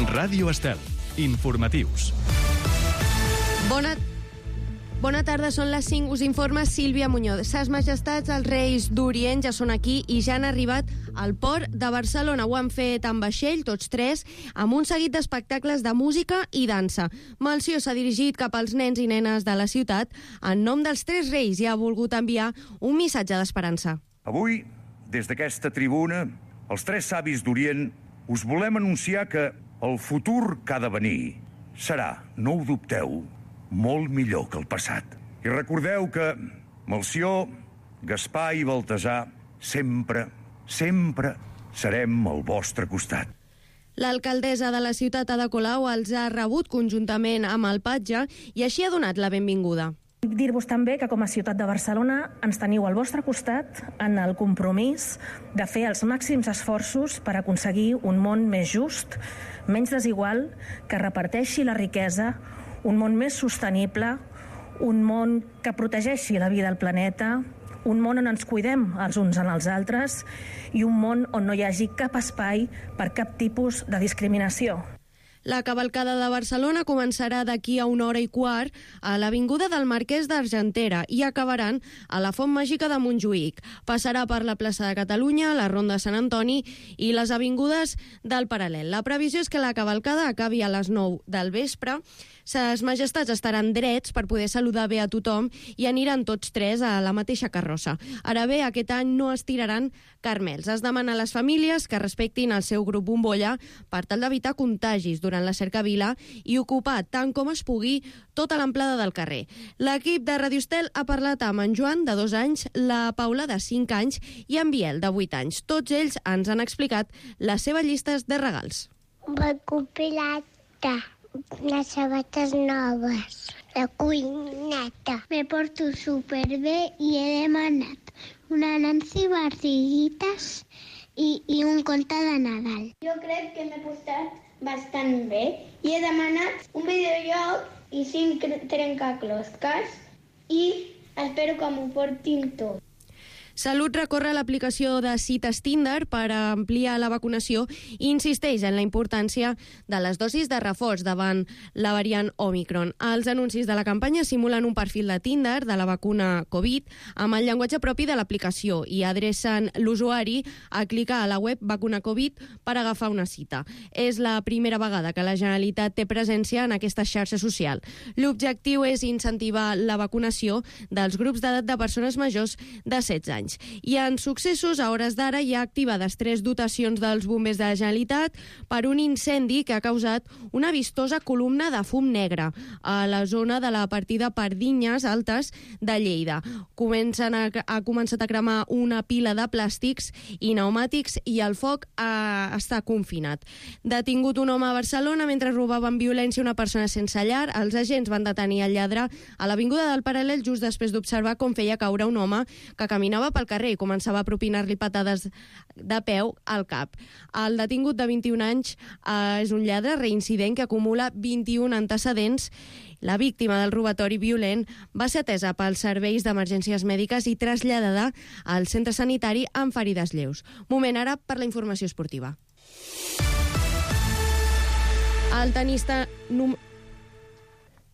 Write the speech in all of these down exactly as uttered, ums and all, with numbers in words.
Ràdio Estel. Informatius. Bona Bona tarda, són les cinc, us informa Sílvia Muñoz. Ses majestats, els reis d'Orient, ja són aquí i ja han arribat al port de Barcelona. Ho han fet en vaixell, tots tres, amb un seguit d'espectacles de música i dansa. Melcior s'ha dirigit cap als nens i nenes de la ciutat en nom dels tres reis i ha volgut enviar un missatge d'esperança. Avui, des d'aquesta tribuna, els tres savis d'Orient us volem anunciar que el futur que ha de venir serà, no ho dubteu, molt millor que el passat. I recordeu que Melcior, Gaspar i Baltasar sempre, sempre serem al vostre costat. L'alcaldessa de la ciutat, Ada Colau, els ha rebut conjuntament amb el patge i així ha donat la benvinguda. Dir-vos també que com a ciutat de Barcelona ens teniu al vostre costat en el compromís de fer els màxims esforços per aconseguir un món més just, menys desigual, que reparteixi la riquesa, un món més sostenible, un món que protegeixi la vida al planeta, un món on ens cuidem els uns en els altres i un món on no hi hagi cap espai per cap tipus de discriminació. La cavalcada de Barcelona començarà d'aquí a una hora i quart a l'Avinguda del Marquès d'Argentera i acabaran a la Font Màgica de Montjuïc. Passarà per la plaça de Catalunya, la Ronda de Sant Antoni i les avingudes del Paral·lel. La previsió és que la cavalcada acabi a les nou del vespre. Ses majestats estaran drets per poder saludar bé a tothom i aniran tots tres a la mateixa carrossa. Ara bé, aquest any no es tiraran carmels. Es demana a les famílies que respectin el seu grup bombolla per tal d'evitar contagis durant la cercavila i ocupar tant com es pugui tota l'amplada del carrer. L'equip de Radio Estel ha parlat amb en Joan, de dos anys, la Paula, de cinc anys, i en Biel, de vuit anys. Tots ells ens han explicat les seves llistes de regals. Recopilata, les sabates noves, la cuineta. Me porto superbé i he demanat una Nancy Barriguitas i, i un conte de Nadal. Jo crec que m'he portat bastant bé i he demanat un videojoc i cinc trencaclosques i espero que m'ho portin tot. Salut recorre l'aplicació de cites Tinder per ampliar la vacunació i insisteix en la importància de les dosis de reforç davant la variant Omicron. Els anuncis de la campanya simulen un perfil de Tinder de la vacuna Covid amb el llenguatge propi de l'aplicació i adrecen l'usuari a clicar a la web Vacuna Covid per agafar una cita. És la primera vegada que la Generalitat té presència en aquesta xarxa social. L'objectiu és incentivar la vacunació dels grups d'edat de persones majors de setze anys. I en successos, a hores d'ara, hi ha activades tres dotacions dels bombers de la Generalitat per un incendi que ha causat una vistosa columna de fum negre a la zona de la partida Pardinyes Altes de Lleida. Comencen a, ha començat a cremar una pila de plàstics i pneumàtics i el foc ha, està confinat. Detingut un home a Barcelona mentre robava amb violència una persona sense llar. Els agents van detenir el lladre a l'Avinguda del Paral·lel just després d'observar com feia caure un home que caminava pel carrer i començava a propinar-li patades de peu al cap. El detingut de vint-i-un anys eh, és un lladre reincident que acumula vint-i-un antecedents. La víctima del robatori violent va ser atesa pels serveis d'emergències mèdiques i traslladada al centre sanitari amb ferides lleus. Moment ara per la informació esportiva. El tenista... Num...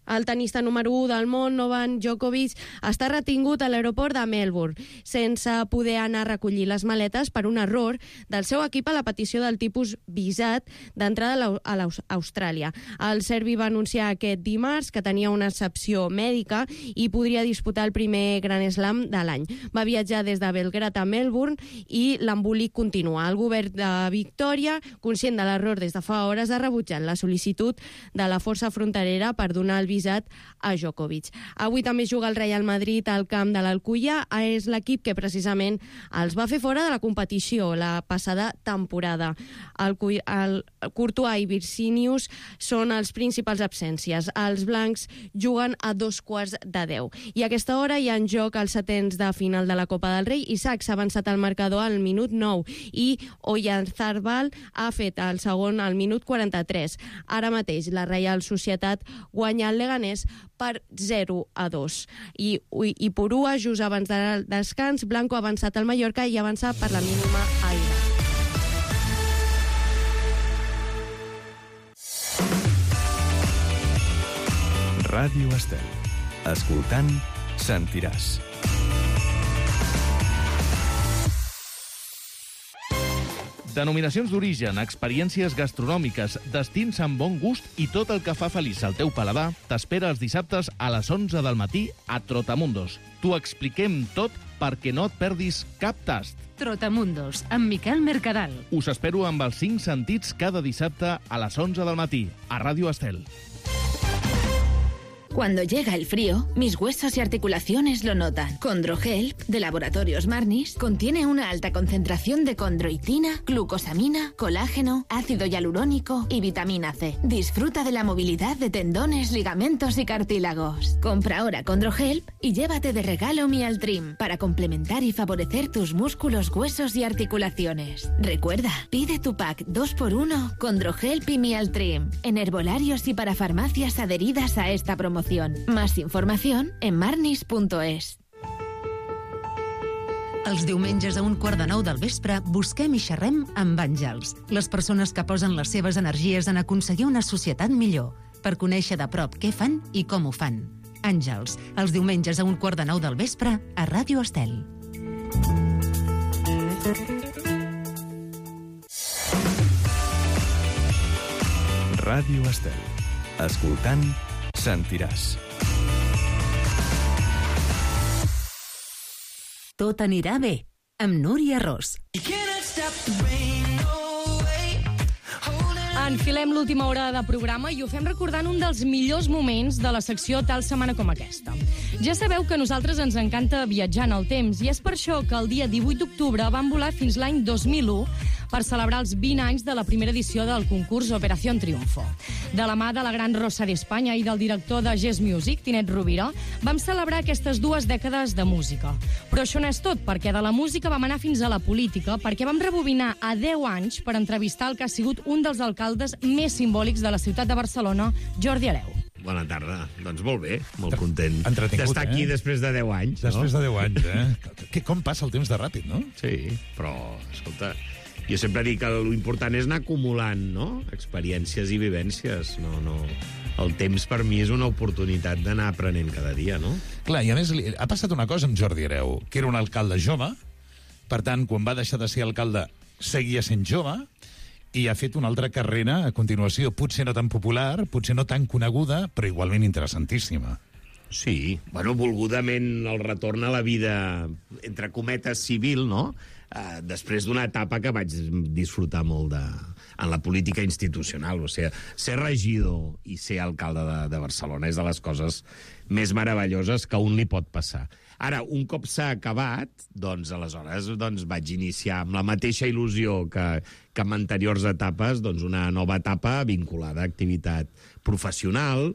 El tenista número u del món, Novak Djokovic, està retingut a l'aeroport de Melbourne, sense poder anar a recollir les maletes per un error del seu equip a la petició del tipus visat d'entrada a l'Austràlia. El serbi va anunciar aquest dimarts que tenia una excepció mèdica i podria disputar el primer Grand Slam de l'any. Va viatjar des de Belgrad a Melbourne i l'embolic continua. El govern de Victòria, conscient de l'error des de fa hores, ha rebutjat la sol·licitud de la força fronterera per donar el visat a Djokovic. Avui també juga el Real Madrid al camp de l'Alcúdia. És l'equip que precisament els va fer fora de la competició la passada temporada. El, el Courtois i Vircinius són els principals absències. Els blancs juguen a dos quarts de deu. I a aquesta hora hi ha en joc els setens de final de la Copa del Rei. Isaac s'ha avançat al marcador al minut nou i Oyarzabal ha fet el segon al minut quaranta-tres. Ara mateix la Reial Societat guanya el Leganés per zero a dos. I, i Purua, just abans del descans, Blanco ha avançat al Mallorca i avança per la mínima a Ira. Ràdio Estel. Escoltant, sentiràs. Denominacions d'origen, experiències gastronòmiques, destins amb bon gust i tot el que fa feliç al teu paladar t'espera els dissabtes a les onze del matí a Trotamundos. T'ho expliquem tot perquè no et perdis cap tast. Trotamundos, amb Miquel Mercadal. Us espero amb els cinc sentits cada dissabte a les onze del matí a Ràdio Estel. Cuando llega el frío, mis huesos y articulaciones lo notan. Condrohelp, de Laboratorios Marnis, contiene una alta concentración de condroitina, glucosamina, colágeno, ácido hialurónico y vitamina C. Disfruta de la movilidad de tendones, ligamentos y cartílagos. Compra ahora Condrohelp y llévate de regalo Mialtrim para complementar y favorecer tus músculos, huesos y articulaciones. Recuerda, pide tu pack dos por uno Condrohelp y Mialtrim en herbolarios y para farmacias adheridas a esta promoción. Más información en marnis punto es. Els diumenges a un quart de nou del vespre busquem i xerrem amb Àngels, les persones que posen les seves energies en aconseguir una societat millor, per conèixer de prop què fan i com ho fan. Àngels, els diumenges a un quart de nou del vespre a Ràdio Estel. Ràdio Estel. Escoltant, sentiràs. Tot anirà bé, amb Núria Ros. Enfilem l'última hora de programa i ho fem recordant un dels millors moments de la secció Tal setmana com aquesta. Ja sabeu que a nosaltres ens encanta viatjar en el temps i és per això que el dia divuit d'octubre vam volar fins l'any dos mil u per celebrar els vint anys de la primera edició del concurs Operación Triunfo. De la mà de la gran Rosa d'Espanya i del director de Gest Music, Tinet Rovira, vam celebrar aquestes dues dècades de música. Però això no és tot, perquè de la música vam anar fins a la política, perquè vam rebobinar a deu anys per entrevistar el que ha sigut un dels alcaldes més simbòlics de la ciutat de Barcelona, Jordi Hereu. Bona tarda. Doncs molt bé, molt content d'estar aquí eh? després de deu anys. Després no? de deu anys, eh? Que, com passa el temps de ràpid, no? Sí, però, escolta, jo sempre dic que l'important és anar acumulant, no?, experiències i vivències. No, no. El temps, per mi, és una oportunitat d'anar aprenent cada dia, no? Clar, i a més, ha passat una cosa amb Jordi Hereu, que era un alcalde jove, per tant, quan va deixar de ser alcalde, seguia sent jove, i ha fet una altra carrera a continuació, potser no tan popular, potser no tan coneguda, però igualment interessantíssima. Sí, bueno, volgudament el retorn a la vida, entre cometes, civil, no?, Uh, després d'una etapa que vaig disfrutar molt de, en la política institucional. O sigui, ser regidor i ser alcalde de, de Barcelona és de les coses més meravelloses que a un li pot passar. Ara, un cop s'ha acabat, doncs, aleshores doncs, vaig iniciar amb la mateixa il·lusió que, que en anteriors etapes, doncs, una nova etapa vinculada a activitat professional,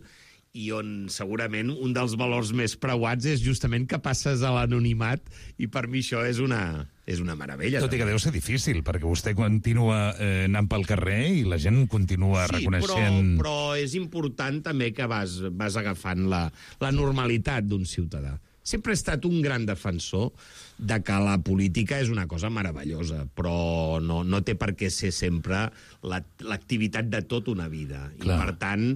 i on segurament un dels valors més preuats és justament que passes a l'anonimat, i per mi això és una, és una meravella. Tot i que deu ser difícil, perquè vostè continua eh, anant pel carrer i la gent continua sí, reconeixent... Però, però és important també que vas, vas agafant la, la normalitat d'un ciutadà. Sempre he estat un gran defensor de que la política és una cosa meravellosa, però no, no té per què ser sempre l'activitat la, de tota una vida. Clar. I per tant,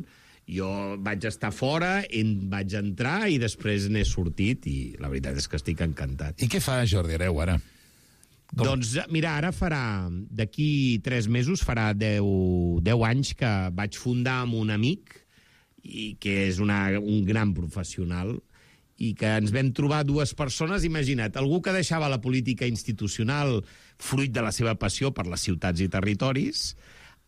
jo vaig estar fora, en vaig entrar i després n'he sortit i la veritat és que estic encantat. I què fa Jordi Hereu ara? Com? Doncs mira, ara farà, d'aquí tres mesos, farà deu, deu anys que vaig fundar amb un amic, i que és una, un gran professional, i que ens vam trobar dues persones, imagina't, algú que deixava la política institucional fruit de la seva passió per les ciutats i territoris,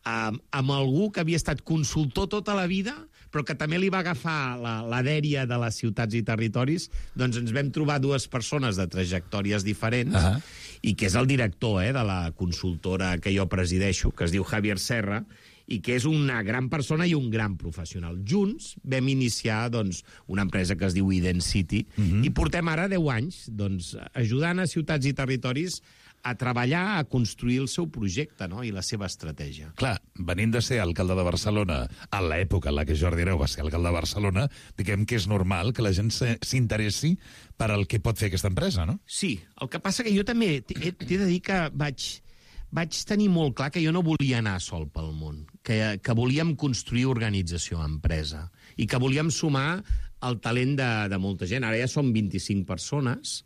amb, amb algú que havia estat consultor tota la vida, però que també li va agafar la, la dèria de les ciutats i territoris, doncs ens vam trobar dues persones de trajectòries diferents, uh-huh. i que és el director eh, de la consultora que jo presideixo, que es diu Javier Serra, i que és una gran persona i un gran professional. Junts vam iniciar doncs, una empresa que es diu Identity, uh-huh. i portem ara deu anys doncs, ajudant a ciutats i territoris a treballar, a construir el seu projecte, no?, i la seva estratègia. Clar, venint de ser alcalde de Barcelona, a l'època en la que Jordi Hereu va ser alcalde de Barcelona, diguem que és normal que la gent s'interessi per al que pot fer aquesta empresa, no? Sí, el que passa que jo també t'he de dir que vaig, vaig tenir molt clar que jo no volia anar sol pel món, que, que volíem construir organització, empresa. i que volíem sumar el talent de, de molta gent. Ara ja som vint-i-cinc persones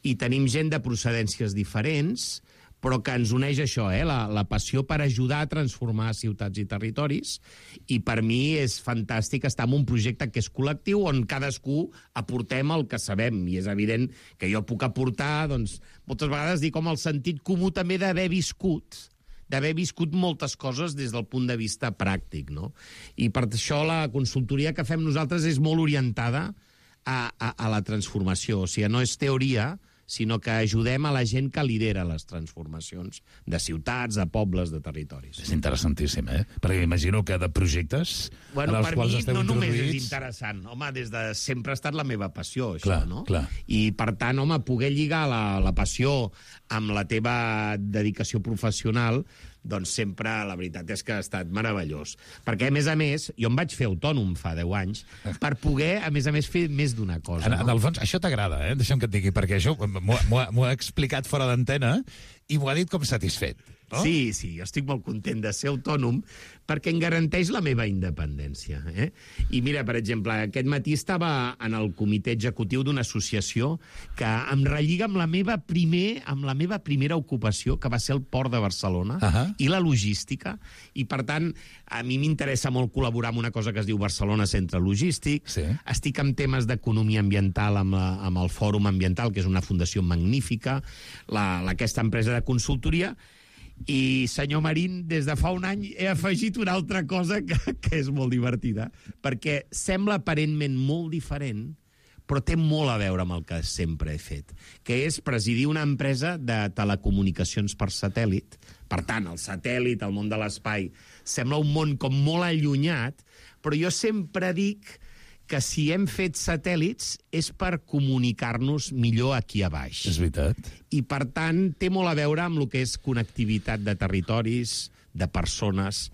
i tenim gent de procedències diferents, però que ens uneix això, eh? la, la passió per ajudar a transformar ciutats i territoris, i per mi és fantàstic estar en un projecte que és col·lectiu, on cadascú aportem el que sabem, i és evident que jo puc aportar, doncs, moltes vegades dic com el sentit comú també d'haver viscut, d'haver viscut moltes coses des del punt de vista pràctic, no? I per això la consultoria que fem nosaltres és molt orientada a, a, a la transformació. O sigui, no és teoria, sinó que ajudem a la gent que lidera les transformacions de ciutats, de pobles, de territoris. És interessantíssim, eh? Perquè imagino que de projectes bueno, en els quals esteu no introduïts... Per mi no només és interessant. Home, des de sempre ha estat la meva passió, això, clar, no? Clar. I, per tant, home, poder lligar la, la passió amb la teva dedicació professional, doncs sempre, la veritat és que ha estat meravellós. Perquè, a més a més, jo em vaig fer autònom fa deu anys per poder, a més a més, fer més d'una cosa. En, no? en el fons, això t'agrada, eh? Deixa'm que et digui, perquè això m'ho ha explicat fora d'antena i m'ho ha dit com satisfet. No? Sí, sí, jo estic molt content de ser autònom perquè em garanteix la meva independència. Eh? I mira, per exemple, aquest matí estava en el comitè executiu d'una associació que em relliga amb la meva primer, amb la meva primera ocupació, que va ser el Port de Barcelona, uh-huh. i la logística, i per tant, a mi m'interessa molt col·laborar amb una cosa que es diu Barcelona Centre Logístic. Sí. Estic amb temes d'economia ambiental amb, la, amb el Fòrum Ambiental, que és una fundació magnífica, la, la, aquesta empresa de consultoria. I, senyor Marín, des de fa un any he afegit una altra cosa que, que és molt divertida, perquè sembla aparentment molt diferent, però té molt a veure amb el que sempre he fet, que és presidir una empresa de telecomunicacions per satèl·lit. Per tant, el satèl·lit, el món de l'espai, sembla un món com molt allunyat, però jo sempre dic que si hem fet satèl·lits és per comunicar-nos millor aquí a baix. És veritat. I, per tant, té molt a veure amb el que és connectivitat de territoris, de persones,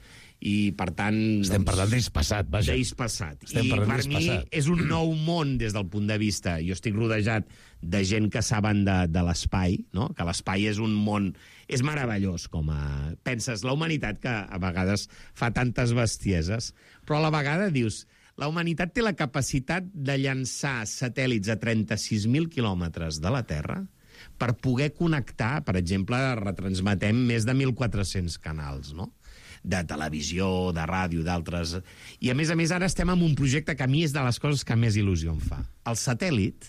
i, per tant... Estem doncs, parlant d'ells passat, vaja. D'ells passat. Estem I per mi passat. és un nou món des del punt de vista... Jo estic rodejat de gent que saben de, de l'espai, no? Que l'espai és un món... És meravellós, com a... Penses, la humanitat, que a vegades fa tantes bestieses, però a la vegada dius... La humanitat té la capacitat de llançar satèl·lits a trenta-sis mil quilòmetres de la Terra per poder connectar, per exemple, retransmetem més de mil quatre-cents canals, no? De televisió, de ràdio, d'altres... I, a més a més, ara estem en un projecte que a mi és de les coses que més il·lusió em fa. El satèl·lit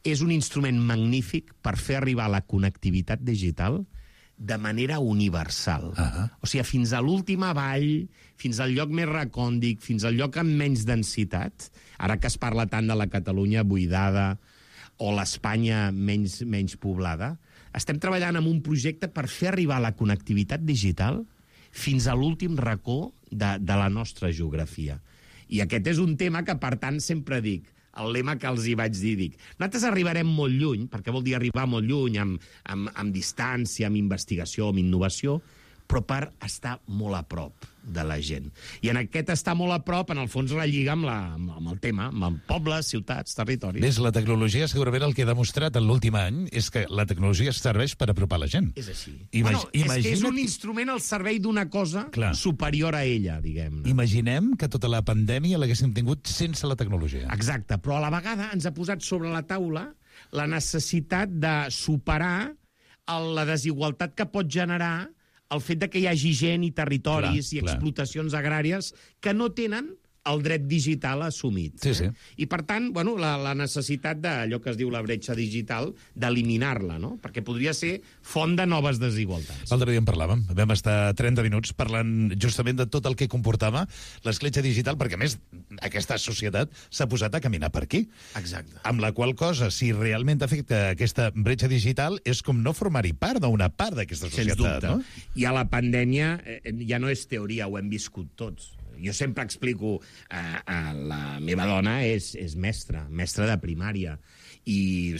és un instrument magnífic per fer arribar la connectivitat digital de manera universal. Uh-huh. O sigui, fins a l'última vall, fins al lloc més recòndit, fins al lloc amb menys densitat, ara que es parla tant de la Catalunya buidada o l'Espanya menys, menys poblada, estem treballant en un projecte per fer arribar la connectivitat digital fins a l'últim racó de, de la nostra geografia. I aquest és un tema que, per tant, sempre dic, el lema que els hi vaig dir, dic, nosaltres arribarem molt lluny, perquè vol dir arribar molt lluny, amb, amb, amb distància, amb investigació, amb innovació, però per estar molt a prop de la gent. I en aquest estar molt a prop, en el fons, relliga amb, la, amb el tema, amb pobles, ciutats, territoris. Ves, la tecnologia, segurament el que ha demostrat en l'últim any és que la tecnologia serveix per apropar la gent. És així. Imag bueno, és imagina't... que és un instrument al servei d'una cosa Clar. superior a ella, diguem-ne. Imaginem que tota la pandèmia l'haguéssim tingut sense la tecnologia. Exacte, però a la vegada ens ha posat sobre la taula la necessitat de superar el, la desigualtat que pot generar el fet de que hi hagi gent i territoris clar, i explotacions clar. agràries que no tenen el dret digital assumit. Sí, sí. Eh? I, per tant, bueno, la, la necessitat d'allò que es diu la bretxa digital, d'eliminar-la, no? Perquè podria ser font de noves desigualtats. L'altre dia en parlàvem. Vam estar trenta minuts parlant justament de tot el que comportava l'escletxa digital, perquè, a més, aquesta societat s'ha posat a caminar per aquí. Exacte. Amb la qual cosa, si realment afecta aquesta bretxa digital, és com no formar-hi part d'una part d'aquesta societat. Sens dubte. No? I a la pandèmia eh, ja no és teoria, ho hem viscut tots. Jo sempre explico, eh, eh, la meva dona és, és mestra, mestra de primària, i,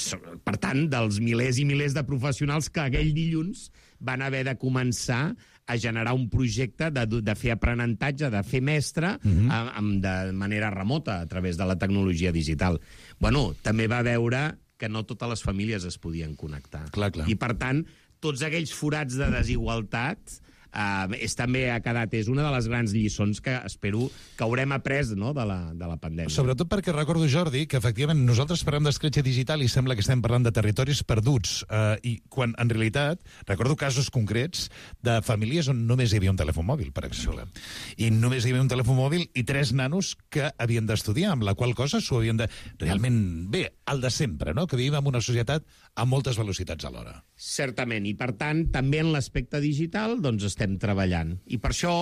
per tant, dels milers i milers de professionals que aquell dilluns van haver de començar a generar un projecte de, de fer aprenentatge, de fer mestre, uh-huh. a, a, de manera remota, a través de la tecnologia digital. Bueno, també va veure que no totes les famílies es podien connectar. Clar, clar. I, per tant, tots aquells forats de desigualtat Uh, és també ha quedat, és una de les grans lliçons que espero que haurem après, no?, de la, de la pandèmia. Sobretot perquè recordo, Jordi, que efectivament nosaltres parlem d'escletxa digital i sembla que estem parlant de territoris perduts, uh, i quan en realitat recordo casos concrets de famílies on només hi havia un telèfon mòbil, per exemple. I només hi havia un telèfon mòbil i tres nanos que havien d'estudiar, amb la qual cosa s'ho havien de... Realment, bé, el de sempre, no?, que vivim en una societat amb moltes velocitats alhora. Certament, i per tant, també en l'aspecte digital, doncs estem treballant. I per això,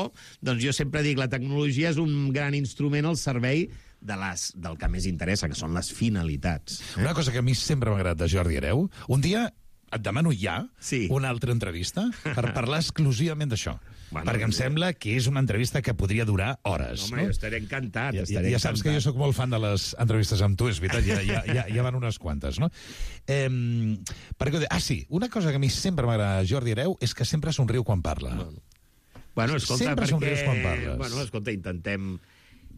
doncs jo sempre dic, la tecnologia és un gran instrument al servei de les, del que més interessa, que són les finalitats. Eh? Una cosa que a mi sempre m'ha agradat de Jordi Hereu, un dia et demano ja sí. una altra entrevista per parlar exclusivament d'això. Bueno, perquè em sembla que és una entrevista que podria durar hores. Home, no? jo estaré encantat. Ja, estaré ja saps encantat. que jo sóc molt fan de les entrevistes amb tu, és veritat, ja, ja, ja, ja van unes quantes, no? Eh, perquè, ah, sí, una cosa que a mi sempre m'agrada Jordi Hereu és que sempre somriu quan parla. Bueno, bueno escolta, sempre perquè... somrius quan parles. Bueno, escolta, intentem,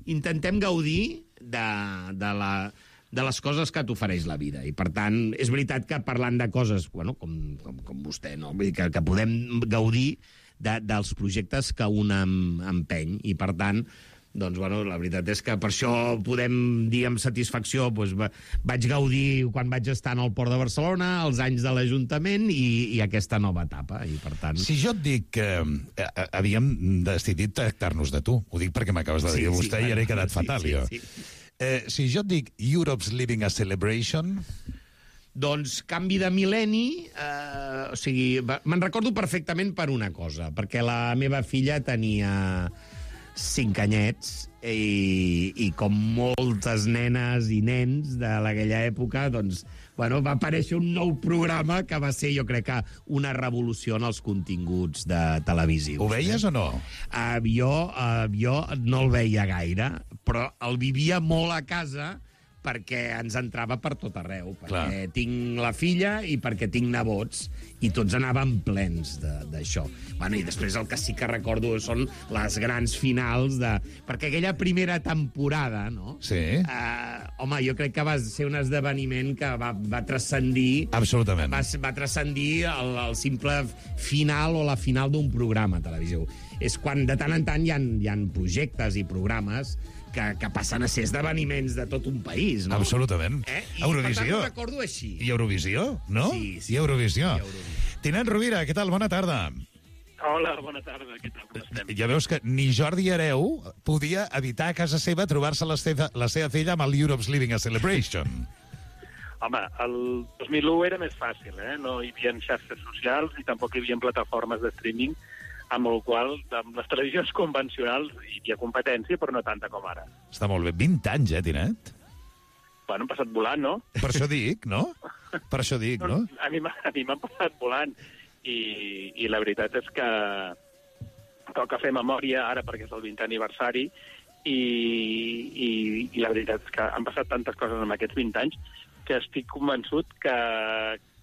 intentem gaudir de, de la... de les coses que t'ofereix la vida. I, per tant, és veritat que parlant de coses, bueno, com, com, com vostè, no? Vull dir que, que podem gaudir de, dels projectes que un em, empeny. I, per tant, doncs, bueno, la veritat és que per això podem dir amb satisfacció, doncs, va, vaig gaudir quan vaig estar en el Port de Barcelona, els anys de l'Ajuntament i, i aquesta nova etapa. I, per tant... Si jo et dic que eh, havíem decidit tractar-nos de tu, ho dic perquè m'acabes de dir sí, vostè sí, i ara he quedat sí, fatal, sí, jo. Sí, sí. Eh, si jo et dic Europe's Living a Celebration... Doncs canvi de mil·lenni, eh, o sigui, me'n recordo perfectament per una cosa, perquè la meva filla tenia cinc anyets i, i com moltes nenes i nens de aquella època, doncs, bueno, va aparèixer un nou programa que va ser, jo crec que, una revolució en els continguts de televisius. Ho veies eh? o no? Uh, jo, uh, jo no el veia gaire, però el vivia molt a casa perquè ens entrava per tot arreu, perquè Clar. tinc la filla i perquè tinc nebots, i tots anàvem plens d'això. Bueno, i després el que sí que recordo són les grans finals de... Perquè aquella primera temporada, no? Sí. Uh, home, jo crec que va ser un esdeveniment que va, va transcendir... Absolutament. Va, va transcendir el, el simple final o la final d'un programa televisiu. És quan de tant en tant hi ha, hi ha projectes i programes que, que passen a ser esdeveniments de tot un país, no? Absolutament. Eh? I Eurovisió. per tant ho recordo així. I Eurovisió, no? Sí, sí. I Eurovisió. I Eurovisió. Tinent Rovira, què tal? Bona tarda. Hola, bona tarda, què tal? Com estem? Ja veus que ni Jordi Hereu podia evitar a casa seva trobar-se la, seva, la seva filla amb el Europe's Living a Celebration. Home, el dos mil u era més fàcil, eh? No hi havia xarxes socials i tampoc hi havia plataformes de streaming, amb el qual, amb les televisions convencionals hi havia competència, però no tanta com ara. Està molt bé. vint anys, eh, Tinet? Bueno, han passat volant, no? Per això dic, no? Per això dic, no? A mi m'han passat volant. I, I la veritat és que toca fer memòria ara perquè és el vintè aniversari i, i, i la veritat és que han passat tantes coses en aquests vint anys que estic convençut que,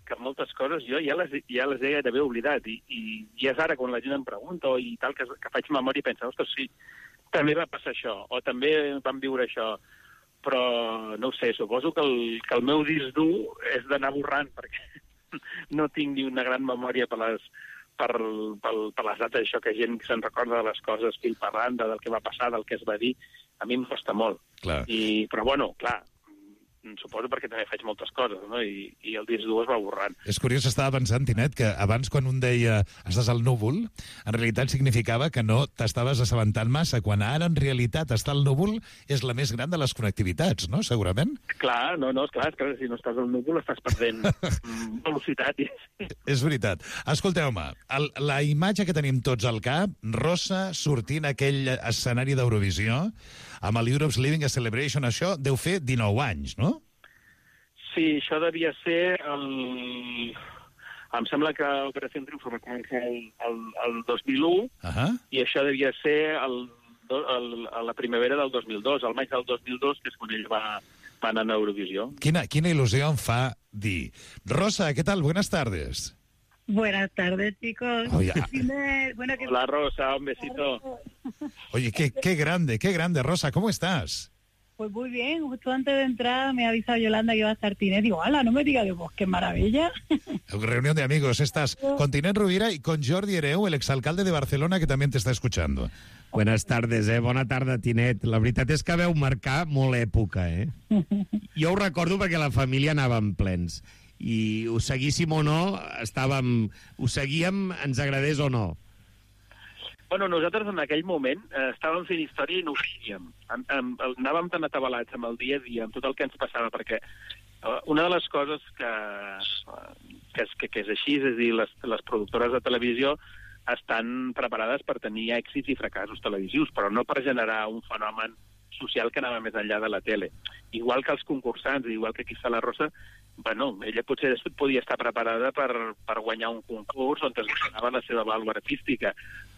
que moltes coses jo ja les, ja les he d'haver oblidat i, i, i és ara quan la gent em pregunta o i tal, que, que faig memòria i penso, ostres, sí, també va passar això, o també vam viure això, però no ho sé, suposo que el, que el meu disc dur és d'anar borrant perquè no tinc ni una gran memòria per les, per, per, per les dates, això que gent se'n recorda de les coses fil per randa, del que va passar, del que es va dir, a mi em costa molt. Clar. I, però bueno, clar, suposo perquè també faig moltes coses, no? I, i el disc dur es va borrant. És curiós, estava pensant, Tinet, que abans quan un deia estàs al núvol, en realitat significava que no t'estaves assabentant massa, quan ara en realitat estar al núvol és la més gran de les connectivitats, no? Segurament? Clar, no, no, és clar, és clar, si no estàs al núvol estàs perdent velocitat. I... És veritat. Escolteu-me, el, la imatge que tenim tots al cap, Rosa sortint a aquell escenari d'Eurovisió, amb el Europe's Living a Celebration, això deu fer dinou anys, no? Sí, això devia ser el... Em sembla que Operació Triunfo va començar el, el, el dos mil u, uh-huh. I això devia ser el, el, la primavera del dos mil dos, el maig del dos mil dos, que és quan ell va, va anar a Eurovisió. Quina, quina il·lusió em fa dir. Rosa, què tal? Buenas tardes. Buenas tardes, chicos. Oye, bueno, que... Hola, Rosa, un besito. Oye, qué, qué grande, qué grande, Rosa, ¿cómo estás? pues muy bien. Justo antes de entrar me ha avisado Yolanda que iba a estar Tinet. Digo, ¡hala, no me digas! Digo, pues qué maravilla. Reunión de amigos. Estás con Tinet Rovira y con Jordi Hereu, el exalcalde de Barcelona, que también te está escuchando. Buenas tardes, eh? Bona tarda, Tinet. La veritat és que veu marcar molt època, eh? Jo ho recordo perquè la família anàvem plens. I ho seguíssim o no, estàvem... Ho seguíem, ens agradés o no. Bueno, nosaltres en aquell moment eh, estàvem fent història i no ho seguíem. Am, am, anàvem tan atabalats amb el dia a dia, amb tot el que ens passava, perquè eh, una de les coses que, que, és, que, que és així, és a dir, les, les productores de televisió estan preparades per tenir èxits i fracassos televisius, però no per generar un fenomen social que anava més enllà de la tele. Igual que els concursants, igual que aquí està la Rosa, bueno, ella potser podia estar preparada per, per guanyar un concurs on es guanyava la seva vàlua artística,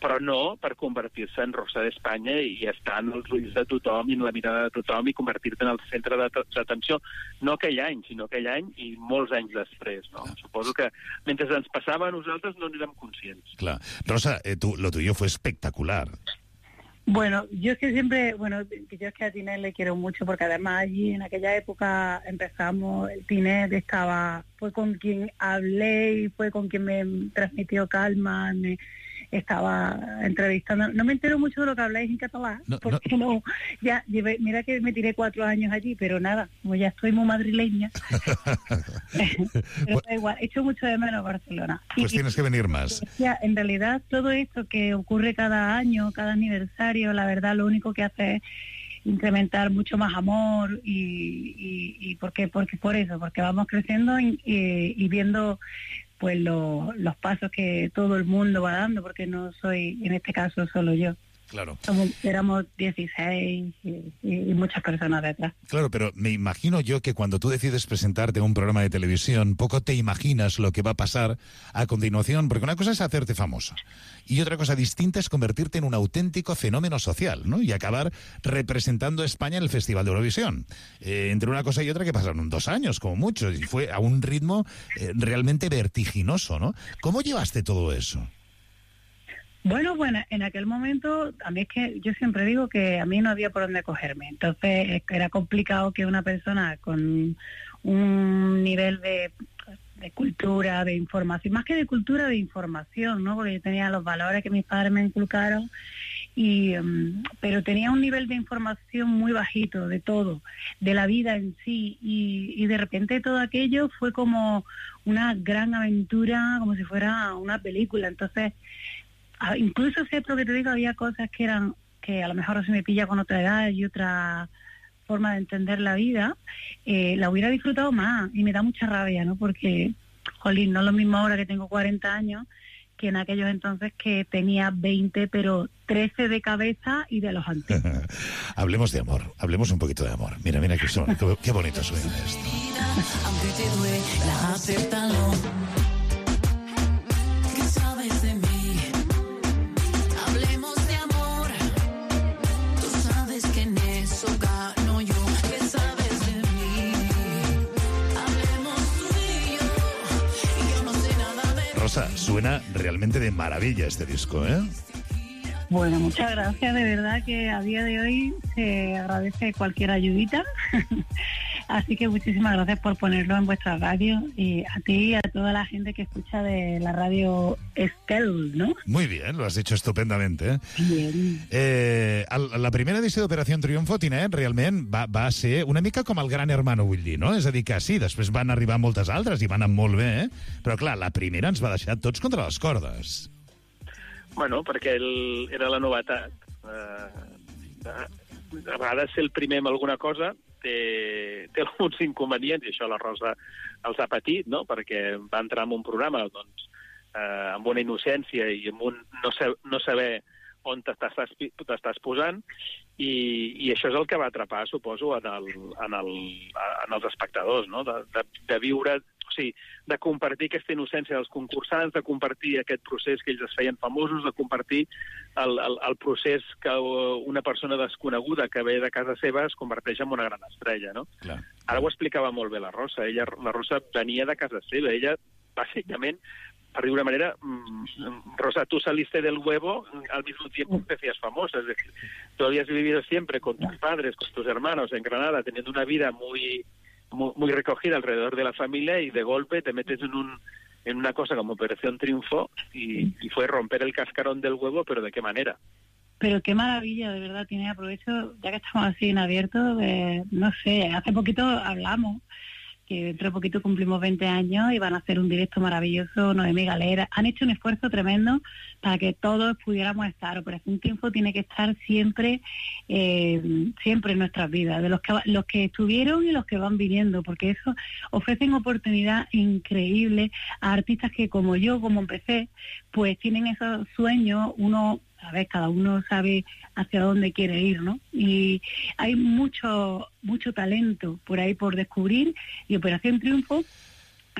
però no per convertir-se en Rosa d'Espanya i estar en els ulls de tothom i en la mirada de tothom i convertir-te en el centre d'atenció, no aquell any, sinó aquell any i molts anys després, no? Suposo que mentre ens passava a nosaltres no n'érem conscients. Clar. Rosa, eh, tu, lo tuyo fue espectacular. Bueno, yo es que siempre, bueno, yo es que a Tinet le quiero mucho porque además allí en aquella época empezamos, el Tinet estaba, fue con quien hablé y fue con quien me transmitió calma, me estaba entrevistando. No me entero mucho de lo que habláis en catalán, no, porque no, no ya llevé, mira que me tiré cuatro años allí, pero nada, como ya estoy muy madrileña, pero da igual, echo mucho de menos Barcelona. Pues y, tienes que venir más. Ya, en realidad todo esto que ocurre cada año, cada aniversario, la verdad lo único que hace es incrementar mucho más amor y, y, y porque, porque por eso, porque vamos creciendo y, y, y viendo pues lo, los pasos que todo el mundo va dando, porque no soy, en este caso, solo yo. Claro. Somos, éramos dieciséis y, y muchas personas detrás. Claro, pero me imagino yo que cuando tú decides presentarte a un programa de televisión, poco te imaginas lo que va a pasar a continuación, porque una cosa es hacerte famoso y otra cosa distinta es convertirte en un auténtico fenómeno social, ¿no? Y acabar representando a España en el Festival de Eurovisión. Eh, entre una cosa y otra que pasaron dos años, como mucho, y fue a un ritmo eh, realmente vertiginoso, ¿no? ¿Cómo llevaste todo eso? Bueno, bueno, en aquel momento, a mí es que yo siempre digo que a mí no había por dónde cogerme. Entonces era complicado que una persona con un nivel de, de cultura, de información, más que de cultura, de información, ¿no? Porque yo tenía los valores que mis padres me inculcaron, y um, pero tenía un nivel de información muy bajito de todo, de la vida en sí, y, y de repente todo aquello fue como una gran aventura, como si fuera una película. Entonces, incluso sé, lo que te digo, había cosas que eran, que a lo mejor se me pilla con otra edad y otra forma de entender la vida, eh, la hubiera disfrutado más, y me da mucha rabia, ¿no? Porque, jolín, no es lo mismo ahora que tengo cuarenta años que en aquellos entonces que tenía veinte, pero trece de cabeza y de los antiguos. Hablemos de amor, hablemos un poquito de amor. Mira, mira qué, son, qué, qué bonito suena esto. Aunque te duela, acéptalo. ¿Qué sabes de mí? Rosa, suena realmente de maravilla este disco, ¿eh? Bueno, muchas gracias, de verdad que a día de hoy se agradece cualquier ayudita. Así que muchísimas gracias por ponerlo en vuestra radio, y a ti y a toda la gente que escucha de la radio Estel, ¿no? Muy bien, lo has dicho estupendamente. Eh? Bien. Eh, la primera edició d'Operació Triunfo, Tinet, realment va, va ser una mica com el Gran Hermano, vull dir, no? És a dir, que sí, després van arribar moltes altres i van anar molt bé, eh? Però clar, la primera ens va deixar tots contra les cordes. Bueno, perquè el, era la novetat. Uh, a vegades ser el primer en alguna cosa té, té alguns inconvenients, i això la Rosa els ha patit, no? Perquè va entrar en un programa doncs, eh, amb una innocència i amb un no, sa no saber on t'estàs posant, i, i això és el que va atrapar, suposo, en, el, en, el, en els espectadors, no? de, de, de viure, o sigui, de compartir aquesta innocència dels concursants, de compartir aquest procés que ells es feien famosos, de compartir el, el, el procés que una persona desconeguda que ve de casa seva es converteix en una gran estrella, no? Clar. Ara ho explicava molt bé la Rosa. Ella, la Rosa venia de casa seva. Ella, bàsicament, per dir una manera, Rosa, tú saliste del huevo al mismo tiempo que te hacías famosa. Es decir, tú habías vivido siempre con tus padres, con tus hermanos en Granada, teniendo una vida muy, muy, muy recogida alrededor de la familia, y de golpe te metes en un en una cosa como Operación Triunfo y, y fue romper el cascarón del huevo, pero ¿de qué manera? Pero qué maravilla, de verdad, tiene aprovecho, ya que estamos así en abierto, eh, no sé, hace poquito hablamos que dentro de poquito cumplimos veinte años y van a hacer un directo maravilloso, Noemí Galera. Han hecho un esfuerzo tremendo para que todos pudiéramos estar. Operación Triunfo tiene que estar siempre, eh, siempre en nuestras vidas, de los que los que estuvieron y los que van viniendo, porque eso ofrecen oportunidad increíble a artistas que, como yo, como empecé, pues tienen esos sueños. Uno, a ver, cada uno sabe hacia dónde quiere ir, ¿no? Y hay mucho mucho talento por ahí por descubrir, y Operación Triunfo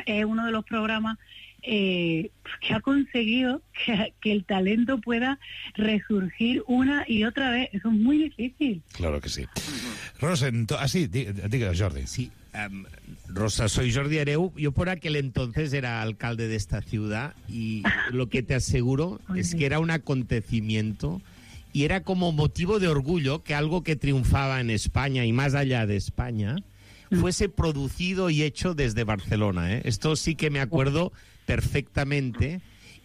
es uno de los programas eh, que ha conseguido que, que el talento pueda resurgir una y otra vez. Eso es muy difícil. Claro que sí. Rosa, ah, sí, diga, Jordi. Sí, um, Rosa, soy Jordi Hereu. Yo por aquel entonces era alcalde de esta ciudad, y lo que te aseguro es que era un acontecimiento y era como motivo de orgullo que algo que triunfaba en España y más allá de España fuese producido y hecho desde Barcelona, ¿eh? Esto sí que me acuerdo perfectamente.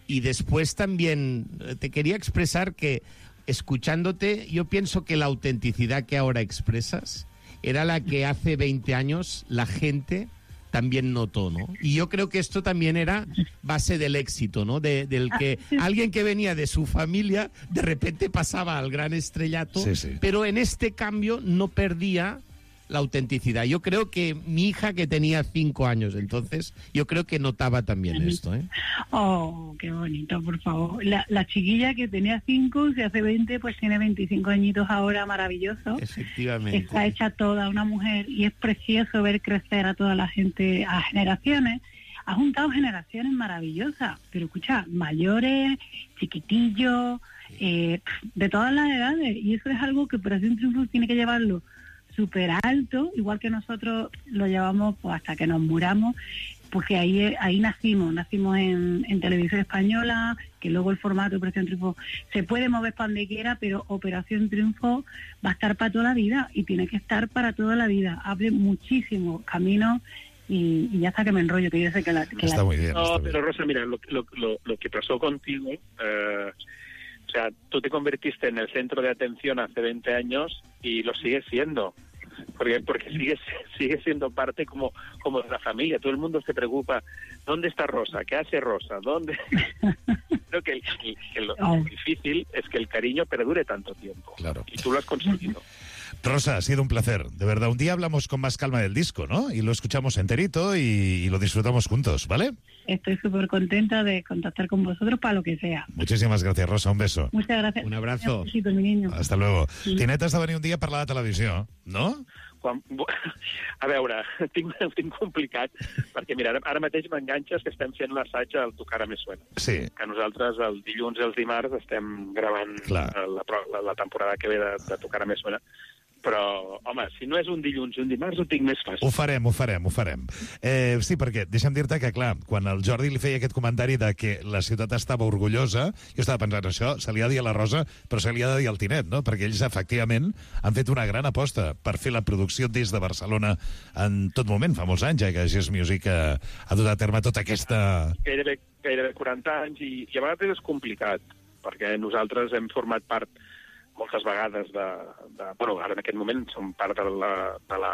Y después también te quería expresar que, escuchándote, yo pienso que la autenticidad que ahora expresas era la que hace veinte años la gente también notó, ¿no? Y yo creo que esto también era base del éxito, ¿no? De, del que alguien que venía de su familia de repente pasaba al gran estrellato, sí, sí. Pero en este cambio no perdía la autenticidad. Yo creo que mi hija, que tenía cinco años entonces, yo creo que notaba también esto, ¿eh? Oh, qué bonito, por favor. La, la chiquilla que tenía cinco, si hace veinte, pues tiene veinticinco añitos ahora, maravilloso. Efectivamente. Está hecha toda una mujer, y es precioso ver crecer a toda la gente, a generaciones. Ha juntado generaciones maravillosas, pero escucha, mayores, chiquitillos, eh, de todas las edades, y eso es algo que Operación Triunfo tiene que llevarlo súper alto, igual que nosotros lo llevamos pues, hasta que nos muramos, porque ahí ahí nacimos, nacimos en, en Televisión Española, que luego el formato de Operación Triunfo se puede mover para donde quiera, pero Operación Triunfo va a estar para toda la vida, y tiene que estar para toda la vida. Abre muchísimos caminos, y, y ya está, que me enrollo, que yo sé que la... Que está la... muy bien. No, está pero bien. Rosa, mira, lo, lo, lo, lo que pasó contigo... Eh, o sea, tú te convertiste en el centro de atención hace veinte años y lo sigues siendo. Porque porque sigues sigue siendo parte como como de la familia. Todo el mundo se preocupa, ¿dónde está Rosa? ¿Qué hace Rosa? ¿Dónde? Creo que, el, que, que lo Oh. difícil es que el cariño perdure tanto tiempo. Claro. Y tú lo has conseguido. Rosa, ha sido un placer, de verdad. Un día hablamos con más calma del disco, ¿no? Y lo escuchamos enterito y, y lo disfrutamos juntos, ¿vale? Estoy súper contenta de contactar con vosotros para lo que sea. Muchísimas gracias, Rosa. Un beso. Muchas gracias. Un abrazo. Un besito, mi niño. Hasta luego. Sí. Tinet has de venir un dia a parlar de televisió, no? Quan, a veure, tinc, tinc complicat, perquè mira, ara, ara mateix m'enganxes que estem fent l'assaig del Tu cara me suena. Sí. Que nosaltres el dilluns i els dimarts estem gravant Clar. la, la, la temporada que ve de, de Tu cara me suena. Però, home, si no és un dilluns i un dimarts, ho tinc més fàcil. Ho farem, ho farem, ho farem. Eh, sí, perquè deixa'm dir-te que, clar, quan el Jordi li feia aquest comentari de que la ciutat estava orgullosa, jo estava pensant, això se li ha de dir a la Rosa, però se li ha de dir al Tinet, no? Perquè ells, efectivament, han fet una gran aposta per fer la producció des de Barcelona en tot moment, fa molts anys, ja que Gest Music ha, ha dut a terme tota aquesta... Gairebé, gairebé quaranta anys, i, i a vegades és complicat, perquè nosaltres hem format part moltes vegades de, de... Bueno, ara en aquest moment som part de la, de la,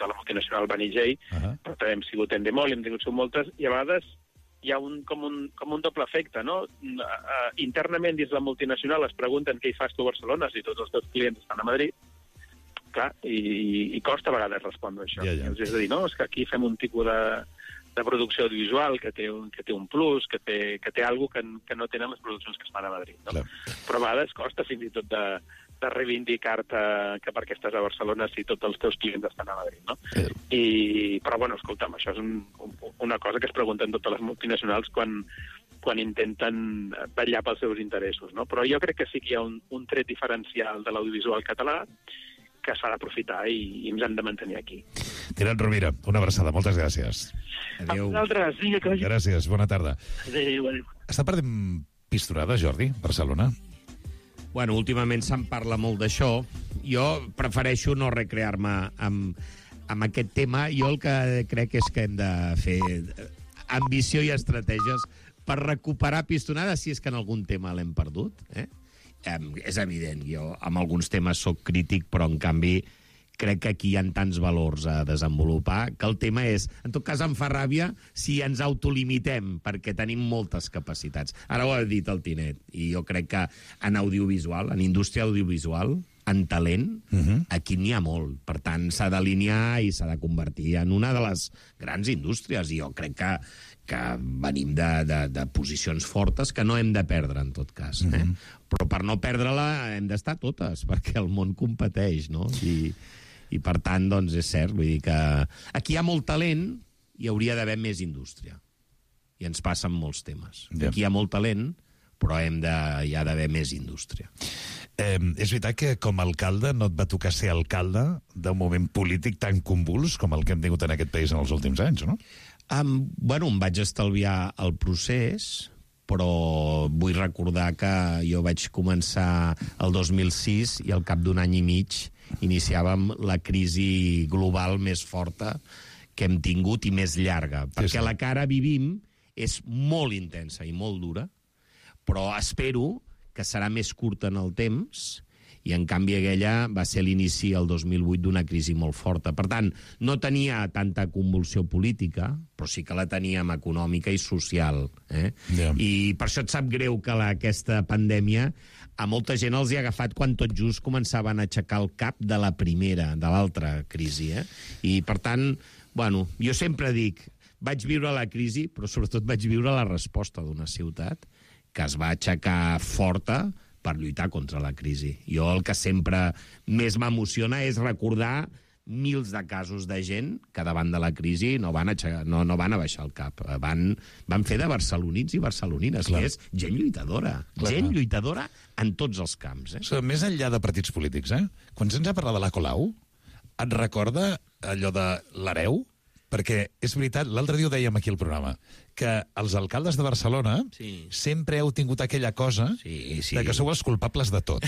de la multinacional Banijay, uh-huh. però també hem sigut Endemol, hem tingut moltes, i a vegades hi ha un, com, un, com un doble efecte, no? Uh, internament dins la multinacional es pregunten què hi fas tu a Barcelona si tots els teus clients estan a Madrid, clar, i, i costa a vegades respondre això. Ja, ja. És a dir, no, és que aquí fem un tipus de, de producció audiovisual que té un, que té un plus, que té, que té alguna que, que no tenen les produccions que es fan a Madrid. No? Clar. Però a vegades costa fins i tot de, de reivindicar-te que perquè estàs a Barcelona si tots els teus clients estan a Madrid. No? Eh. I, però, bueno, escolta'm, això és un, una cosa que es pregunten totes les multinacionals quan, quan intenten vetllar pels seus interessos. No? Però jo crec que sí que hi ha un, un tret diferencial de l'audiovisual català, que s'ha d'aprofitar i, i ens hem de mantenir aquí. Tinent Rovira, una abraçada, moltes gràcies. Adéu. A vosaltres, vinga, que vagi. Gràcies, bona tarda. Adéu, adéu. Està perdent pistonada, Jordi, Barcelona? Bueno, últimament se'n parla molt d'això. Jo prefereixo no recrear-me amb, amb aquest tema. Jo el que crec és que hem de fer ambició i estratègies per recuperar pistonada, si és que en algun tema l'hem perdut. Eh? Eh, és evident, jo amb alguns temes sóc crític, però en canvi crec que aquí hi ha tants valors a desenvolupar que el tema és, en tot cas em fa ràbia si ens autolimitem, perquè tenim moltes capacitats. Ara ho ha dit el Tinet, i jo crec que en audiovisual, en indústria audiovisual, en talent, uh-huh. aquí n'hi ha molt. Per tant, s'ha d'alinear i s'ha de convertir en una de les grans indústries, i jo crec que, que venim de, de, de posicions fortes que no hem de perdre, en tot cas. Eh? Uh-huh. Però per no perdre-la hem d'estar totes, perquè el món competeix, no? I... I, per tant, doncs, és cert. Vull dir que aquí hi ha molt talent i hauria d'haver més indústria. I ens passa amb molts temes. Ja. Aquí hi ha molt talent, però hem de, hi ha d'haver més indústria. Eh, és veritat que com a alcalde no et va tocar ser alcalde d'un moment polític tan convuls com el que hem tingut en aquest país en els últims anys, no? Um, bueno, em vaig estalviar el procés, però vull recordar que jo vaig començar el dos mil sis i al cap d'un any i mig iniciàvem la crisi global més forta que hem tingut i més llarga, perquè sí, sí. la que ara vivim és molt intensa i molt dura, però espero que serà més curta en el temps, i en canvi aquella va ser l'inici el dos mil vuit d'una crisi molt forta. Per tant, no tenia tanta convulsió política, però sí que la teníem econòmica i social. Eh? Yeah. I per això et sap greu que la, aquesta pandèmia a molta gent els hi ha agafat quan tot just començaven a aixecar el cap de la primera, de l'altra crisi. Eh? I, per tant, bueno, jo sempre dic, vaig viure la crisi, però sobretot vaig viure la resposta d'una ciutat que es va aixecar forta per lluitar contra la crisi. Jo el que sempre més m'emociona és recordar mils de casos de gent que davant de la crisi no van, aixecar, no, no van abaixar el cap. Van, van fer de barcelonins i barcelonines, Clar. que és gent lluitadora. Clar. Gent lluitadora en tots els camps. Eh? So, més enllà de partits polítics, eh? quan se'ns ha parlat de la Colau, et recorda allò de l'hereu? Perquè és veritat, l'altre dia ho dèiem aquí al programa, que els alcaldes de Barcelona sí. sempre heu tingut aquella cosa sí, sí. de que sou els culpables de tot.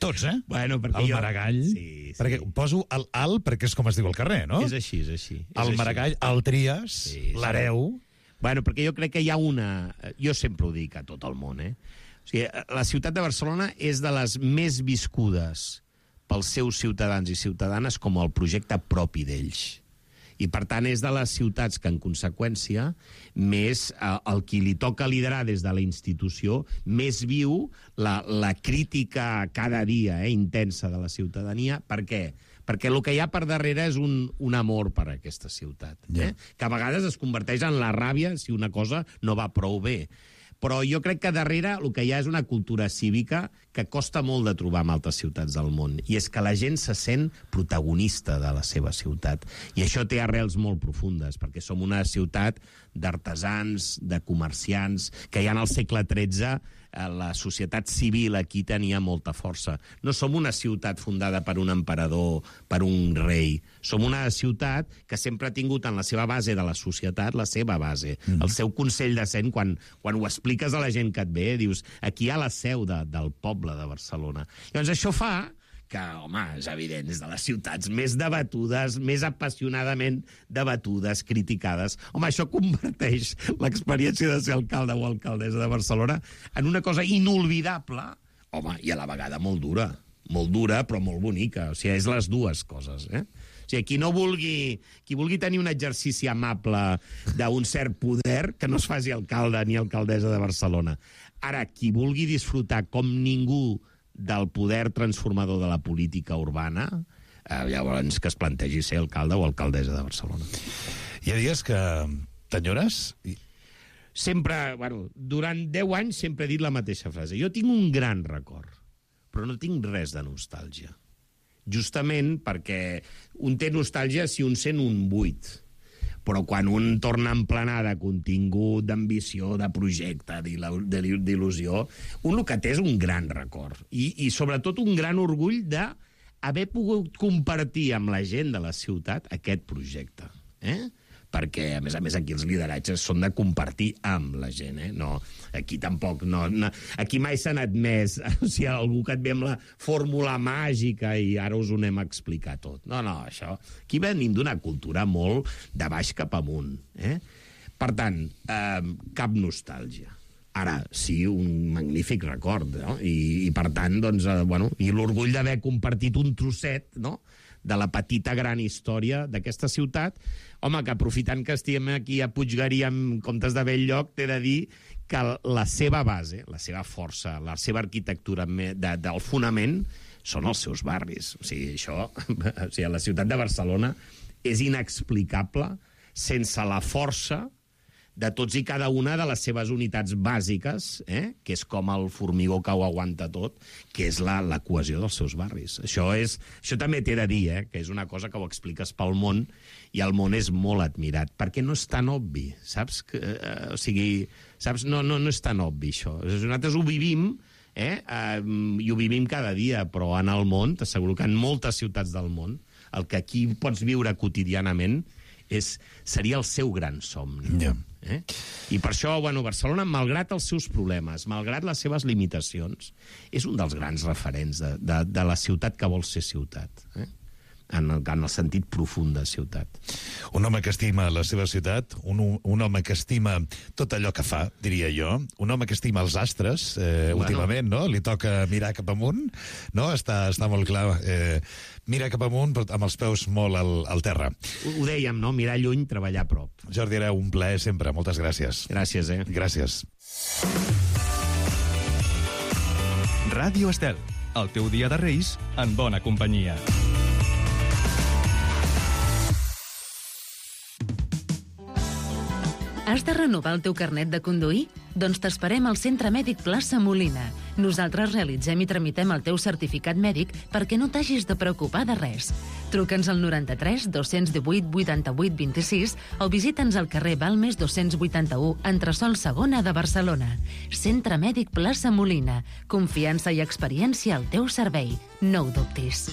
Tots, eh? Bueno, el jo... Maragall, sí, sí. perquè poso el Al perquè és com es diu al carrer, no? És així, és així. És el així. Maragall, el Trias, sí, sí. l'hereu... Bueno, perquè jo crec que hi ha una... Jo sempre ho dic a tot el món, eh? O sigui, la ciutat de Barcelona és de les més viscudes pels seus ciutadans i ciutadanes com el projecte propi d'ells. I, per tant, és de les ciutats que, en conseqüència, més eh, el qui li toca liderar des de la institució, més viu la, la crítica cada dia eh, intensa de la ciutadania. Per què? Perquè el que hi ha per darrere és un, un amor per a aquesta ciutat, eh? Yeah. que a vegades es converteix en la ràbia si una cosa no va prou bé. Però jo crec que darrere el que hi ha és una cultura cívica que costa molt de trobar en altres ciutats del món. I és que la gent se sent protagonista de la seva ciutat. I això té arrels molt profundes, perquè som una ciutat d'artesans, de comerciants, que ja en el segle tretze la societat civil aquí tenia molta força. No som una ciutat fundada per un emperador, per un rei. Som una ciutat que sempre ha tingut en la seva base de la societat la seva base, mm-hmm. el seu consell de cent. Quan, quan ho expliques a la gent que et ve, dius, aquí hi ha la seu de, del poble de Barcelona. Llavors això fa que, home, és evident, és de les ciutats més debatudes, més apassionadament debatudes, criticades. Home, això converteix l'experiència de ser alcalde o alcaldessa de Barcelona en una cosa inolvidable, home, i a la vegada molt dura. Molt dura, però molt bonica. O sigui, és les dues coses, eh? O sigui, qui no vulgui, qui vulgui tenir un exercici amable d'un cert poder, que no es faci alcalde ni alcaldessa de Barcelona. Ara, qui vulgui disfrutar com ningú del poder transformador de la política urbana, eh, llavors que es plantegi ser alcalde o alcaldessa de Barcelona. Hi ha dies que t'enyores? Sempre, bueno, durant deu anys sempre he dit la mateixa frase. Jo tinc un gran record, però no tinc res de nostàlgia. Justament perquè un té nostàlgia si un sent un buit. Però quan un torna a emplenar de contingut, d'ambició, de projecte, d'il·lusió, un el que té és un gran record. I, i sobretot un gran orgull de haver pogut compartir amb la gent de la ciutat aquest projecte. Eh? Perquè, a més a més, aquí els lideratges són de compartir amb la gent. Eh? No, aquí tampoc... No, no, aquí mai s'ha anat més... O sigui, algú que et ve amb la fórmula màgica i ara us ho anem a explicar tot. No, no, això... Aquí venim d'una cultura molt de baix cap amunt. Eh? Per tant, eh, cap nostàlgia. Ara, sí, un magnífic record, no? I, i per tant, doncs, eh, bueno, i l'orgull d'haver compartit un trosset, no?, de la petita gran història d'aquesta ciutat. Home, que aprofitant que estem aquí a Puiggarí en comptes de Bell-lloc, t'he de dir que la seva base, la seva força, la seva arquitectura de, del fonament són els seus barris. O sigui, això, o sigui, la ciutat de Barcelona és inexplicable sense la força de tots i cada una de les seves unitats bàsiques, eh? Que és com el formigó que ho aguanta tot, que és la, la cohesió dels seus barris. Això, és, això també t'he de dir, eh? Que és una cosa que ho expliques pel món, i el món és molt admirat, perquè no és tan obvi, saps? Que, eh, o sigui, saps? No, no, no és tan obvi, això. Nosaltres ho vivim, eh? Eh, i ho vivim cada dia, però en el món, t'asseguro que en moltes ciutats del món, el que aquí pots viure quotidianament és, seria el seu gran somni. Yeah. Eh? I per això, bueno, Barcelona, malgrat els seus problemes, malgrat les seves limitacions, és un dels grans referents de, de, de la ciutat que vol ser ciutat. Eh? En el, en el sentit profund de ciutat. Un home que estima la seva ciutat, un, un home que estima tot allò que fa, diria jo, un home que estima els astres, eh, bueno. últimament, no? Li toca mirar cap amunt, no? Està, està molt clar. Eh, mira cap amunt, però amb els peus molt al, al terra. Ho, ho dèiem, no? Mirar lluny, treballar a prop. Jordi Hereu, un plaer sempre. Moltes gràcies. Gràcies, eh? Gràcies. Ràdio Estel, el teu dia de Reis en bona companyia. Has de renovar el teu carnet de conduir? Doncs t'esperem al Centre Mèdic Plaça Molina. Nosaltres realitzem i tramitem el teu certificat mèdic perquè no t'hagis de preocupar de res. Truca'ns al noranta-tres dos-cents divuit vuitanta-vuit vint-i-sis o visita'ns al carrer Balmes dos-cents vuitanta-u, entresòl segona de Barcelona. Centre Mèdic Plaça Molina. Confiança i experiència al teu servei. No ho dubtis.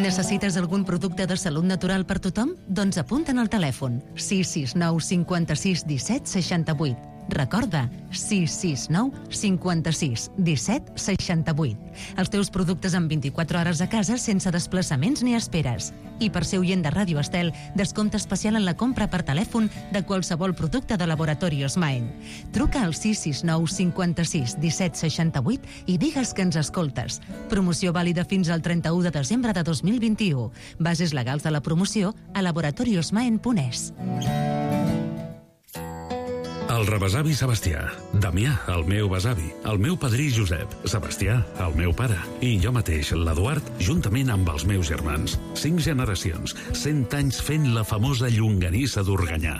Necessites algun producte de salut natural per tothom? Doncs apunta'n al telèfon sis sis nou cinquanta-sis disset seixanta-vuit. Recorda, sis sis nou cinquanta-sis disset seixanta-vuit. Els teus productes en vint-i-quatre hores a casa sense desplaçaments ni esperes. I per ser oient de Ràdio Estel, descompte especial en la compra per telèfon de qualsevol producte de Laboratorios Maen. Truca al sis sis nou cinquanta-sis disset seixanta-vuit i digues que ens escoltes. Promoció vàlida fins al trenta-u de desembre de dos mil vint-i-u. Bases legals de la promoció a laboratoriosmaen punt es. El rebesavi Sebastià, Damià, el meu besavi, el meu padrí Josep, Sebastià, el meu pare, i jo mateix, l'Eduard, juntament amb els meus germans. Cinc generacions, cent anys fent la famosa llonganissa d'Organyà.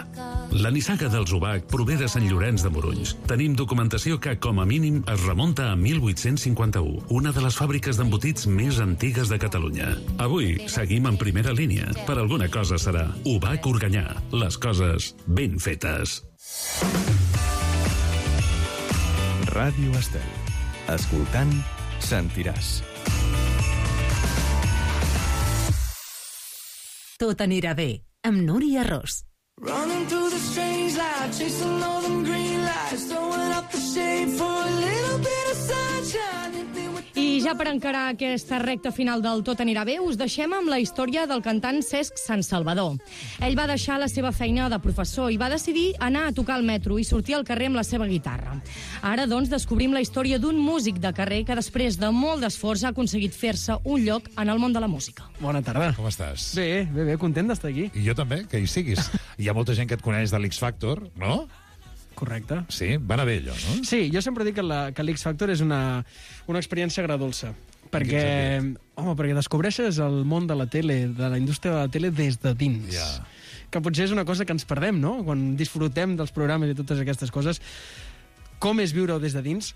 La nissaga del Zubac prové de Sant Llorenç de Morunys. Tenim documentació que, com a mínim, es remunta a mil vuit-cents cinquanta-u, una de les fàbriques d'embotits més antigues de Catalunya. Avui seguim en primera línia. Per alguna cosa serà Ubac Organyà. Les coses ben fetes. Ràdio Estel. Escoltant, sentiràs. Tot anirà bé, amb Núria Ros. Running through the strange light, chasing all them green lights, throwing up the shade for a little bit of sunshine. I ja per encarar aquesta recta final del Tot anirà bé, us deixem amb la història del cantant Cesc Sant Salvador. Ell va deixar la seva feina de professor i va decidir anar a tocar al metro i sortir al carrer amb la seva guitarra. Ara, doncs, descobrim la història d'un músic de carrer que després de molt d'esforç ha aconseguit fer-se un lloc en el món de la música. Bona tarda. Com estàs? Bé, bé, bé, content d'estar aquí. I jo també, que hi siguis. Hi ha molta gent que et coneix de l'X Factor, no? Correcte. Sí, va anar bé allò, no? Sí, jo sempre dic que la, que l'X Factor és una, una experiència agradolça. Perquè, home, perquè descobreixes el món de la tele, de la indústria de la tele des de dins. Yeah. Que potser és una cosa que ens perdem, no? Quan disfrutem dels programes i totes aquestes coses. Com és viure-ho des de dins?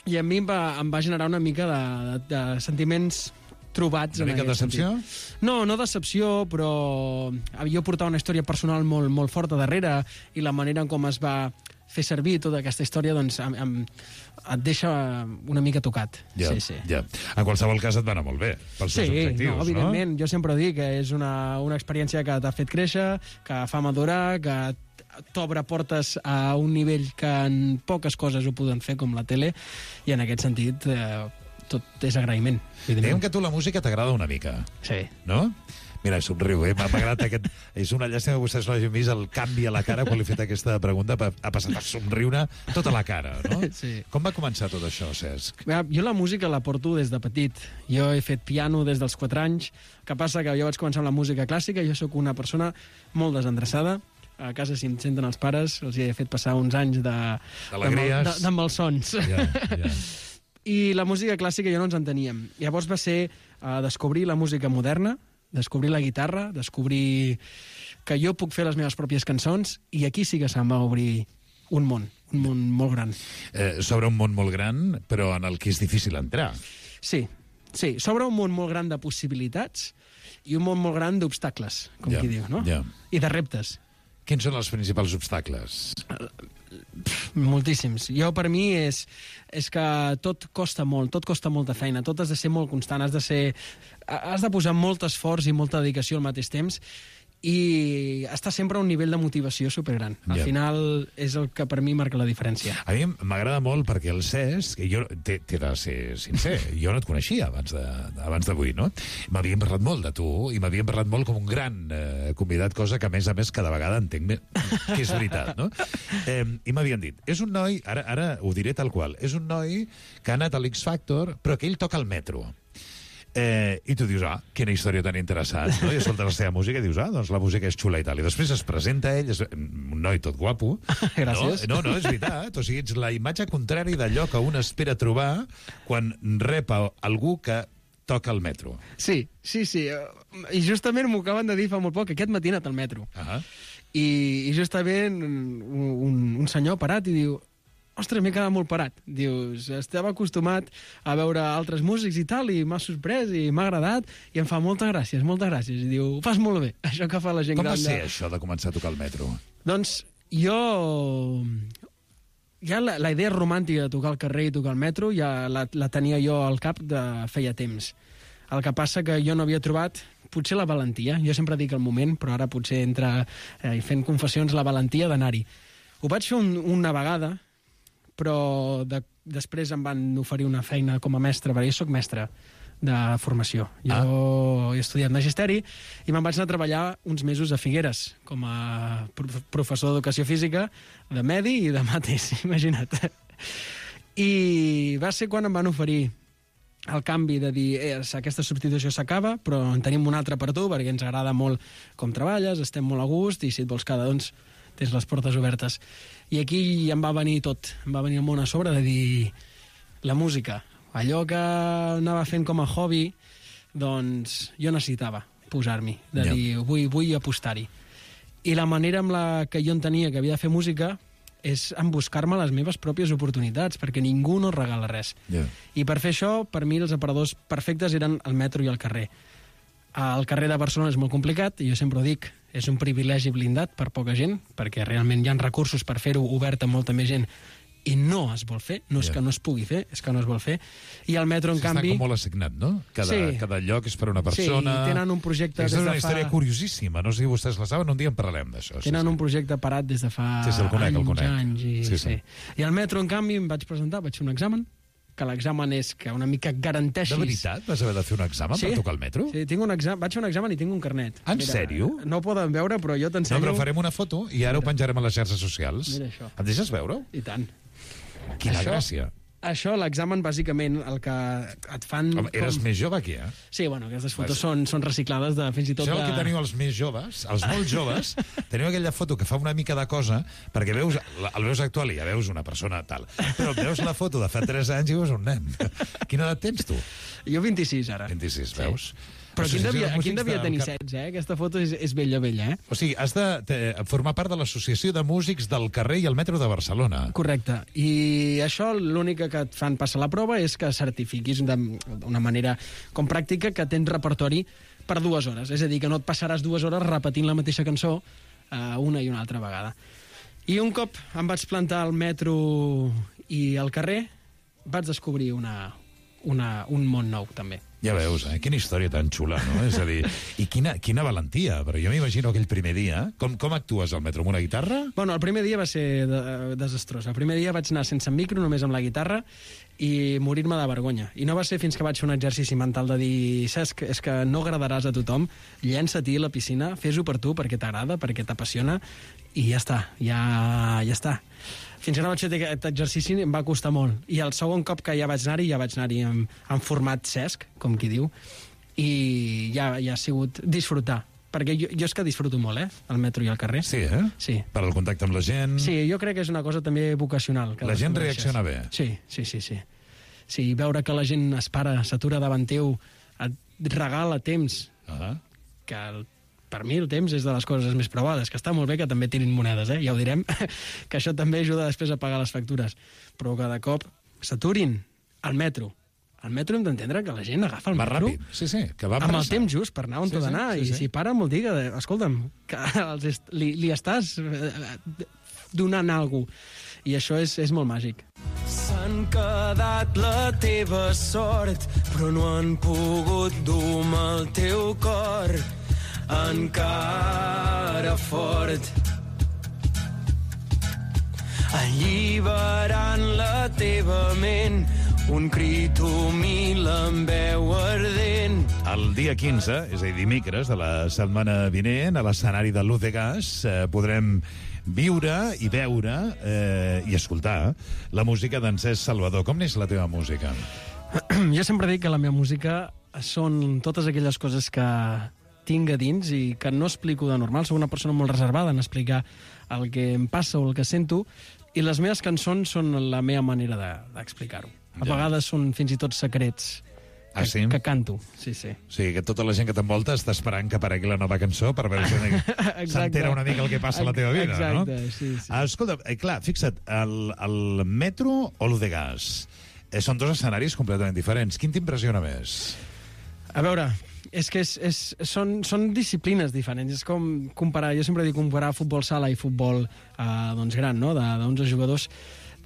I a mi em va, em va generar una mica de, de, de sentiments trobats. Una mica de decepció? Sentit. No, no decepció, però jo portava una història personal molt, molt forta darrere i la manera en com es va fer servir tota aquesta història, doncs em, em, et deixa una mica tocat. Ja, sí, sí. ja. En qualsevol cas et va anar molt bé, pels seus Sí, objectius, no, evidentment. Jo sempre ho dic, que és una, una experiència que t'ha fet créixer, que fa madurar, que t'obre portes a un nivell que en poques coses ho poden fer, com la tele, i en aquest sentit eh, tot és agraïment. Diguem que a tu la música t'agrada una mica. Sí. No? Mira, somriu, eh? M'ha agradat aquest... És una llàstima que vostès no hagin vist el canvi a la cara quan li he fet aquesta pregunta. Ha passat a somriure tota la cara, no? Sí. Com va començar tot això, Cesc? Jo la música la porto des de petit. Jo he fet piano des dels quatre anys. El que passa que jo vaig començar amb la música clàssica. Jo sóc una persona molt desendreçada. A casa, si em senten els pares, els he fet passar uns anys de... D'alegries. De, de, de malsons. Ja, ja. I la música clàssica jo no ens enteníem. Llavors va ser uh, descobrir la música moderna, descobrir la guitarra, descobrir que jo puc fer les meves pròpies cançons, i aquí sí que se'm va obrir un món, un món molt gran. Eh, sobre un món molt gran, però en el que és difícil entrar. Sí, sí, sobre un món molt gran de possibilitats i un món molt gran d'obstacles, com Ja, qui diu, no? ja. I de reptes. Quins són els principals obstacles? Moltíssims. Jo, per mi, és, és que tot costa molt, tot costa molta feina, tot has de ser molt constant, has de ser... has de posar molt esforç i molta dedicació al mateix temps, i està sempre a un nivell de motivació supergran. Al Ja. final és el que per mi marca la diferència. A mi m'agrada molt perquè el Cesc, jo t'he t'he de ser sincer, jo no et coneixia abans de, abans d'avui, no? M'havien parlat molt de tu i m'havien parlat molt com un gran eh, convidat, cosa que a més a més cada vegada entenc més, que és veritat, no? Eh, I m'havien dit, és un noi, ara, ara ho diré tal qual, és un noi que ha anat a l'X Factor, però que ell toca el metro. Eh, I tu dius, ah, quina història tan interessant, no? I escoltes la seva música i dius, ah, doncs la música és xula i tal. I després es presenta ell, és un noi tot guapo. Gràcies. No, no, no és veritat. O sigui, ets la imatge contrària d'allò que un espera trobar quan rep a algú que toca el metro. Sí, sí, sí. I justament m'ho acaben de dir fa molt poc, aquest matí he anat al metro. Ah. I, i justament un, un, un senyor parat i diu, ostres, m'he quedat molt parat. Dius, estava acostumat a veure altres músics i tal, i m'ha sorprès i m'ha agradat, i em fa moltes gràcies, moltes gràcies. I diu, ho fas molt bé, això que fa la gent Com gran. va ser de... això de començar a tocar el metro? Doncs jo... Ja la, la idea romàntica de tocar al carrer i tocar al metro ja la, la tenia jo al cap de feia temps. El que passa que jo no havia trobat potser la valentia. Jo sempre dic el moment, però ara potser entra eh, fent confessions la valentia d'anar-hi. Ho vaig fer un, una vegada, però de, després em van oferir una feina com a mestre, perquè jo soc mestre de formació. Jo ah. he estudiat magisteri i me'n vaig anar a treballar uns mesos a Figueres com a professor d'educació física, de medi i de mates, imagina't. I va ser quan em van oferir el canvi de dir, eh, aquesta substitució s'acaba, però en tenim una altra per tu, perquè ens agrada molt com treballes, estem molt a gust, i si et vols quedar, doncs, tens les portes obertes. I aquí em va venir tot, em va venir el món a sobre de dir la música. Allò que anava fent com a hobby, doncs jo necessitava posar-m'hi, de Ja. dir, vull, vull apostar-hi. I la manera amb la que jo entenia que havia de fer música és en buscar-me les meves pròpies oportunitats, perquè ningú no regala res. Yeah. I per fer això, per mi, els aparadors perfectes eren el metro i el carrer. El carrer de Barcelona és molt complicat, i jo sempre ho dic, és un privilegi blindat per poca gent, perquè realment hi ha recursos per fer-ho obert a molta més gent, i no es vol fer, no és Yeah. que no es pugui fer, és que no es vol fer. I el metro, en Està canvi... com molt assignat, no? Cada, Sí. cada lloc és per una persona... Sí, tenen un projecte Aquesta des és una de fa- història curiosíssima, no sé si vostès la saben, un dia en parlarem d'això. Sí, Tenen sí. un projecte parat des de fa Sí, sí, el conec, anys, el conec. anys. I, Sí, sí, sí. I al metro, en canvi, em vaig presentar, vaig fer un examen, que l'examen és que una mica garanteixis... De veritat? Vas haver de fer un examen Sí. per tocar el metro? Sí, tinc un examen, vaig fer un examen i tinc un carnet. En sèrio? No ho poden veure, però jo No, t'ensenyo... però farem una foto i ara ho penjarem a les xarxes socials. Mira això. Em deixes veure-ho? I tant. Quina Això- gràcia. Això, l'examen, bàsicament, el que et fan... Home, eres com... més jove aquí, eh? Sí, bueno, aquestes fotos Vas- són, són reciclades de fins i tot... Això és el de... que teniu els més joves, els molt joves, teniu aquella foto que fa una mica de cosa, perquè veus, la- el veus actual i ja veus una persona tal, però veus la foto de fa tres anys i veus un nen. Quina edat tens tu? Jo vint-i-sis, ara. vint-i-sis, veus? Però aquí en devia, aquí en devia tenir set. setze, eh? Aquesta foto és, és vella, vella, eh? O sigui, has de te, formar part de l'Associació de Músics del Carrer i el Metro de Barcelona. Correcte. I això l'única que et fan passar la prova és que certifiquis d'una manera com pràctica que tens repertori per dues hores. És a dir, que no et passaràs dues hores repetint la mateixa cançó eh, una i una altra vegada. I un cop em vaig plantar al metro i al carrer, vaig descobrir una, una, un món nou, també. Ja veus, eh? Quina història tan xula, no? És a dir, i quina, quina valentia, però jo m'imagino aquell primer dia. Com, com actues al metro, amb una guitarra? Bueno, el primer dia va ser de, desastrós. El primer dia vaig anar sense micro, només amb la guitarra, i morir-me de vergonya. I no va ser fins que vaig fer un exercici mental de dir, Cesc, és que no agradaràs a tothom, llença-t'hi a la piscina, fes-ho per tu, perquè t'agrada, perquè t'apassiona, i ja està, ja, ja està. Fins que no vaig fer aquest exercici em va costar molt. I el segon cop que ja vaig anar-hi, ja vaig anar-hi en, en format Cesc, com qui diu, i ja, ja ha sigut disfrutar. Perquè jo, jo és que disfruto molt, eh?, el metro i el carrer. Sí, eh? Sí. Per al contacte amb la gent... Sí, jo crec que és una cosa també vocacional. Que la gent reacciona bé. Sí, sí, sí, sí. Sí, veure que la gent es para, s'atura davant teu, et regala temps, uh-huh. que el per mi el temps és de les coses més provades, que està molt bé que també tirin monedes, eh? Ja ho direm, que això també ajuda després a pagar les factures. Però cada cop s'aturin al metro. Al metro hem d'entendre que la gent agafa el va metro ràpid. Sí, sí, que va amb el temps just per anar on sí, t'ha d'anar. sí, sí, I sí. si para vol dir que, escolta'm, que els est li, li estàs donant alguna cosa. I això és, és molt màgic. S'han quedat la teva sort, però no han pogut dur el teu cor encara fort. Alliberant la teva ment, un crit humil amb veu ardent. El dia quinze, és a dir, dimecres de la setmana vinent, a l'escenari de Luz de Gas, eh, podrem viure i veure eh, i escoltar la música d'en Cesc Salvador. Com n'és la teva música? Jo sempre dic que la meva música són totes aquelles coses que tinc a dins i que no explico de normal. Soc una persona molt reservada en explicar el que em passa o el que sento, i les meves cançons són la meva manera d'explicar-ho. De, a ja. vegades són fins i tot secrets que, ah, sí? que canto. Sí, sí. O sigui, que tota la gent que t'envolta està esperant que aparegui la nova cançó per veure si s'entera una mica el que passa a la teva vida, Exacte, no? Exacte, sí, sí. Escolta, eh, clar, fixa't, el, el metro o Luz de Gas eh, són dos escenaris completament diferents. Quin t'impressiona més? A veure, és que és, és, són, són disciplines diferents. És com comparar, jo sempre dic comparar futbol sala i futbol eh, doncs gran, no?, d'onze jugadors.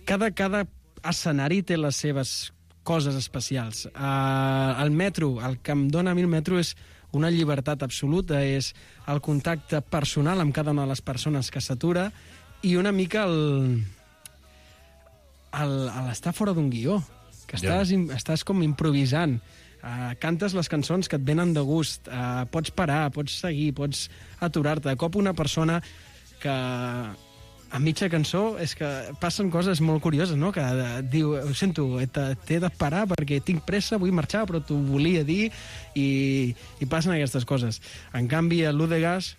Cada, cada escenari té les seves coses especials. Uh, el metro, el que em dona a mi el metro és una llibertat absoluta, és el contacte personal amb cada una de les persones que s'atura i una mica el, el, el estar fora d'un guió, que estàs, yeah. estàs com improvisant. Uh, cantes les cançons que et venen de gust, uh, pots parar, pots seguir, pots aturar-te. De cop una persona que a mitja cançó és que passen coses molt curioses, no? Que uh, diu, ho sento, t'he de parar perquè tinc pressa, vull marxar, però t'ho volia dir, i, i passen aquestes coses. En canvi, a l'U de Gas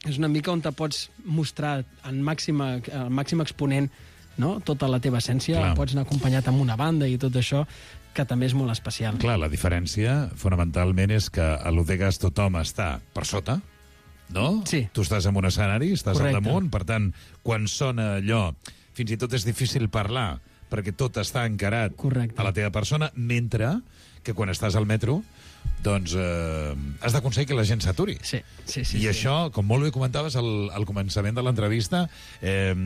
és una mica on te pots mostrar en màxima, el màxim exponent, no?, tota la teva essència. Clar. Pots anar acompanyat amb una banda i tot això, que també és molt especial. Clar, la diferència fonamentalment és que a l'U de Gas tothom està per sota, no? Sí. Tu estàs en un escenari, estàs Correcte. al damunt, per tant, quan sona allò, fins i tot és difícil parlar, perquè tot està encarat Correcte. a la teva persona, mentre que quan estàs al metro, doncs eh, has d'aconseguir que la gent s'aturi. Sí, sí, sí. I sí. això, com molt bé comentaves al, al començament de l'entrevista, eh,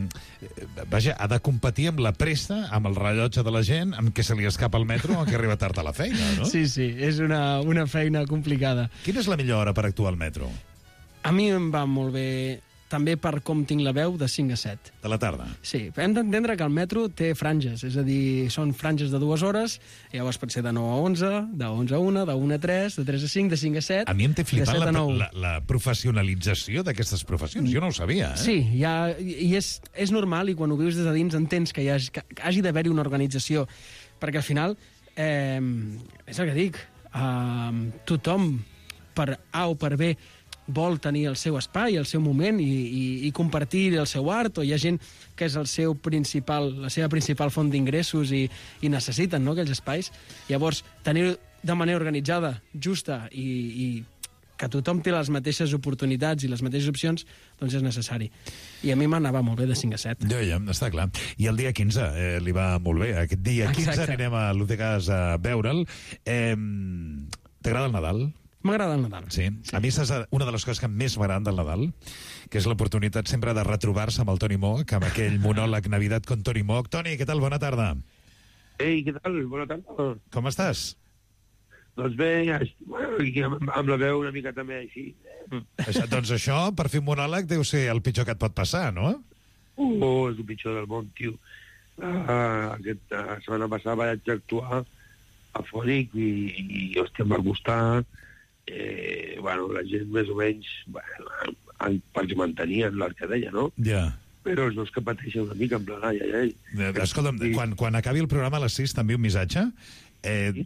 vaja, ha de competir amb la pressa, amb el rellotge de la gent, amb què se li escapa el metro o que arriba tard a la feina, no? Sí, sí, és una, una feina complicada. Quina és la millor hora per actuar al metro? A mi em va molt bé, també per com tinc la veu, de cinc a set. De la tarda? Sí, hem d'entendre que el metro té franges, és a dir, són franges de dues hores, llavors pot ser de nou a onze, de onze a una, de una a tres, de tres a cinc, de cinc a set... A mi em té flipat la, nou. la, la professionalització d'aquestes professions. Jo no ho sabia, eh? Sí, ja, i és, és normal, i quan ho vius des de dins entens que hi hagi, que hagi d'haver-hi una organització, perquè al final, eh, és el que dic, eh, tothom, per A o per B, vol tenir el seu espai, el seu moment i, i, i compartir el seu art, o hi ha gent que és el seu principal, la seva principal font d'ingressos i, i necessiten, no?, aquells espais. Llavors, tenir de manera organitzada, justa i, i que tothom té les mateixes oportunitats i les mateixes opcions, doncs és necessari. I a mi m'anava molt bé de cinc a set. Ja, ja, està clar. I el dia quinze eh, li va molt bé. Aquest dia quinze Exacte. anirem a l'U de Gas a veure'l. Eh, T'agrada el Nadal? M'agrada el Nadal. Sí. sí. A mi és una de les coses que més m'agraden del Nadal, que és l'oportunitat sempre de retrobar-se amb el Toni Moc, amb aquell monòleg Navidad con Toni Moc. Toni, què tal? Bona tarda. Ei, què tal? Bona tarda. Com estàs? Doncs bé, bueno, amb la veu una mica també així. Això, doncs això, per fer un monòleg, deu ser el pitjor que et pot passar, no? Oh, és el pitjor del món, tio. Uh, aquest, uh, la setmana passada vaig actuar afònic i, i hòstia, em va costar. Eh, bueno, la gent més o menys, bueno, perquè mantenien l'arcadella, no? Ja. Yeah. Però els dos que pateixen una mica en plan, ai, ai, ai. Escolta'm, sí. quan, quan acabi el programa a les sis t'envio un missatge eh, sí?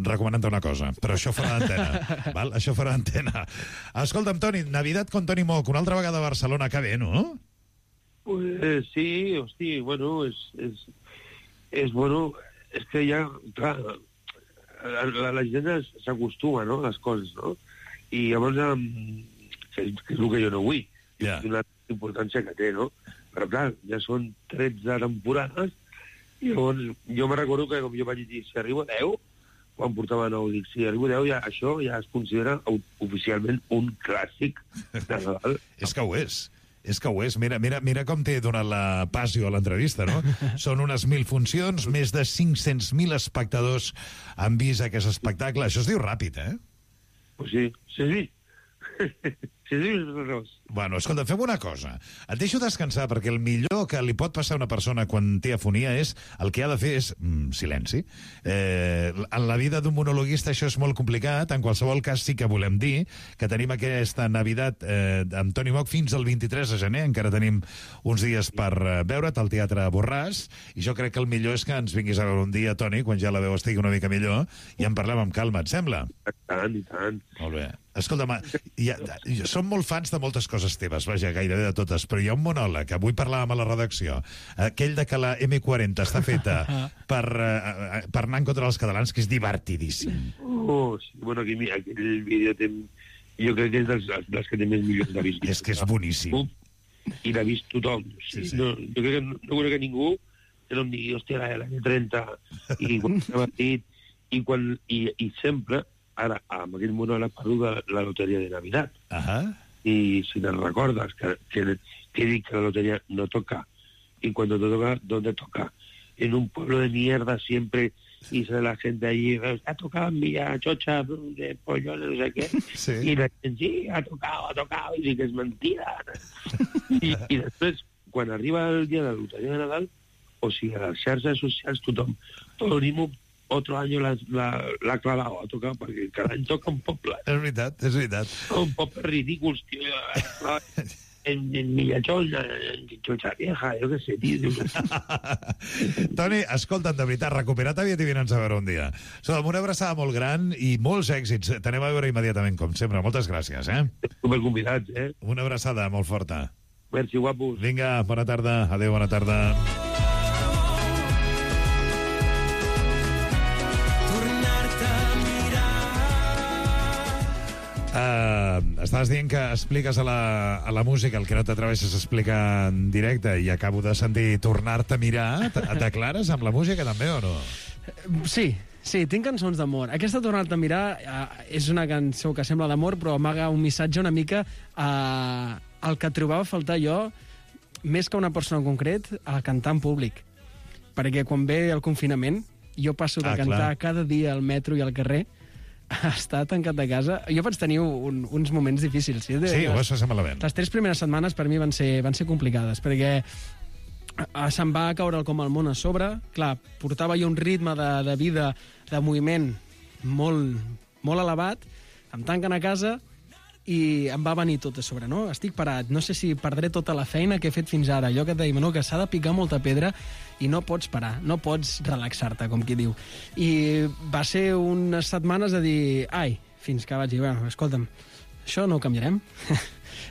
recomanant-te una cosa, però això fora d'antena, val? Això fora d'antena. Escolta'm, Toni, Navidad con Toni Moc, una altra vegada a Barcelona, que bé, no? Pues sí, hosti, bueno, és, és, és bueno, és que ja, clar, la, la, la gent s'acostuma, no?, a les coses, no? I llavors, um, que, que és el que jo no vull, yeah. És una importància que té, no? Però clar, ja són tretze temporades, i llavors jo me recordo que, com jo vaig dir, si arribo a deu, quan portava nou, dic, si arribo a deu, ja, això ja es considera oficialment un clàssic de Nadal. És que ho és. És que ho és. Mira, mira, mira com t'he donat la passió a l'entrevista, no? Són unes mil funcions, més de cinc-cents mil espectadors han vist aquest espectacle. Això es diu ràpid, eh? Pues sí, sí, sí. Sí, sí, bueno, escolta, fem una cosa. Et deixo descansar, perquè el millor que li pot passar a una persona quan té afonia és, el que ha de fer és mm, silenci. Eh, en la vida d'un monologuista això és molt complicat. En qualsevol cas sí que volem dir que tenim aquesta Navidad eh, amb Toni Moc fins al vint-i-tres de gener. Encara tenim uns dies per eh, veure't al Teatre Borràs, i jo crec que el millor és que ens vinguis a veure un dia, Toni, quan ja la veu estigui una mica millor, i en parlem amb calma, et sembla? I tant, i tant. Molt bé. Escolta'm, ja, ja, som molt fans de moltes coses teves, vaja, gairebé de totes, però hi ha un monòleg, avui parlàvem a la redacció, aquell de que la eme quaranta està feta per, uh, per anar en contra dels catalans, que és divertidíssim. Oh, sí, bueno, aquí, aquell vídeo té, jo crec que és dels, dels que té més milions de visites. És que és boníssim. I l'ha vist tothom. Sí, sí. No, jo crec que no, no conec a ningú que no em digui, hòstia, l'any trenta, i quan s'ha dit, i, quan, i, i sempre... Ara, amb aquell monòleg parlo de la loteria de Navidad. Uh-huh. Y si te recordas que, que, que dic que la lotería no toca, y cuando te toca, ¿dónde toca? En un pueblo de mierda siempre, y sale la gente allí, ha tocado en Villa Chocha, de pollones, no sé qué. Sí. Y la gente, sí, ha tocado, ha tocado, y dic que és mentida. I, I després, quan arriba el dia de la loteria de Nadal, o sigui, a les xarxes socials tothom, Toni Moc, otro año la, la, la clavado, ha tocado, perquè cada any toca un poble. És veritat, és veritat. Un poble ridículs, tio. En, en Millachón, en Chocha Vieja, jo què sé, tio. Toni, escolta'm, de veritat, recupera't aviat i vine'ns a veure un dia. Som una abraçada molt gran i molts èxits. T'anem a veure immediatament, com sempre. Moltes gràcies, eh? Super convidats, eh? Una abraçada molt forta. Merci, guapos. Vinga, bona tarda. Adéu, bona tarda. Uh, estaves dient que expliques a la, a la música el que no t'atreveixes a explicar en directe, i acabo de sentir tornar-te a mirar. T'aclares amb la música també o no? Sí, sí, tinc cançons d'amor. Aquesta tornar-te a mirar uh, és una cançó que sembla d'amor, però amaga un missatge una mica uh, el que trobava a faltar jo, més que una persona en concret, a cantar en públic. Perquè quan ve el confinament, jo passo de ah, cantar clar. cada dia al metro i al carrer a estar tancat a casa. Jo vaig tenir un, uns moments difícils. Sí, sí ho vas passar malament. Les tres primeres setmanes per mi van ser, van ser complicades, perquè se'm va caure com el món a sobre. Clar, portava jo un ritme de, de vida, de moviment molt, molt elevat, em tanquen a casa i em va venir tot a sobre, no? Estic parat, no sé si perdré tota la feina que he fet fins ara. Allò que et deim, no? Que s'ha de picar molta pedra i no pots parar, no pots relaxar-te, com qui diu. I va ser unes setmanes de dir, ai, fins que vaig dir, bueno, escolta'm, això no ho canviarem.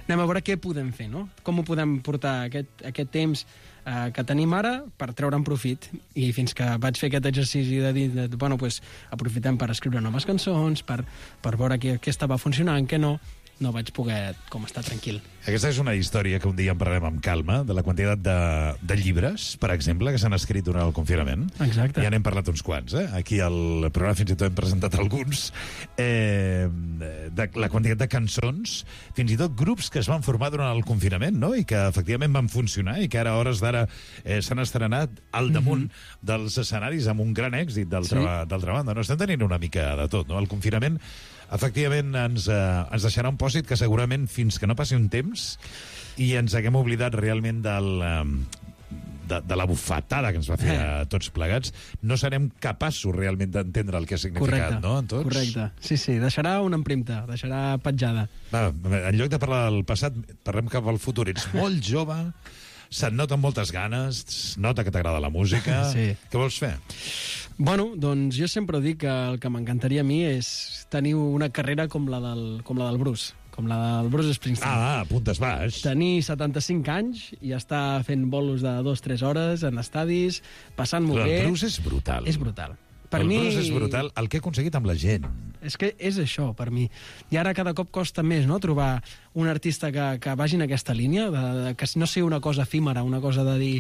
Anem a veure què podem fer, no? Com ho podem portar aquest, aquest temps eh, que tenim ara per treure'n profit. I fins que vaig fer aquest exercici de dir, de, bueno, pues, aprofitem per escriure noves cançons, per, per veure què, què estava funcionant, què no. no vaig poder com estar tranquil. Aquesta és una història que un dia en parlarem amb calma, de la quantitat de, de llibres, per exemple, que s'han escrit durant el confinament. Exacte. Ja n'hem parlat uns quants, eh? Aquí al programa fins i tot hem presentat alguns. Eh, de la quantitat de cançons, fins i tot grups que es van formar durant el confinament, no? I que efectivament van funcionar i que ara, a hores d'ara, eh, s'han estrenat al damunt mm-hmm. dels escenaris amb un gran èxit d'altra sí. banda. No estem tenint una mica de tot, no? El confinament efectivament ens, eh, ens deixarà un pòsit que segurament fins que no passi un temps i ens haguem oblidat realment del, eh, de, de la bufetada que ens va fer a tots plegats, no serem capaços realment d'entendre el que ha significat, correcte, no? En tots? Correcte, sí, sí, deixarà una empremta, deixarà petjada. Va, en lloc de parlar del passat, parlem cap al futur. Ets molt jove, se't noten moltes ganes, es nota que t'agrada la música. Sí. Què vols fer? Bueno, doncs jo sempre dic que el que m'encantaria a mi és tenir una carrera com la del, com la del Bruce, com la del Bruce Springsteen. Ah, puntes baix. Tenir setanta-cinc anys i estar fent bolos de dos a tres hores en estadis, passant-m'ho bé. El Bruce és brutal. És brutal. Per el mi... Bruce és brutal, el que ha aconseguit amb la gent. És que és això, per mi. I ara cada cop costa més, no?, trobar un artista que, que vagi en aquesta línia, de, de, que no sigui una cosa efímera, una cosa de dir...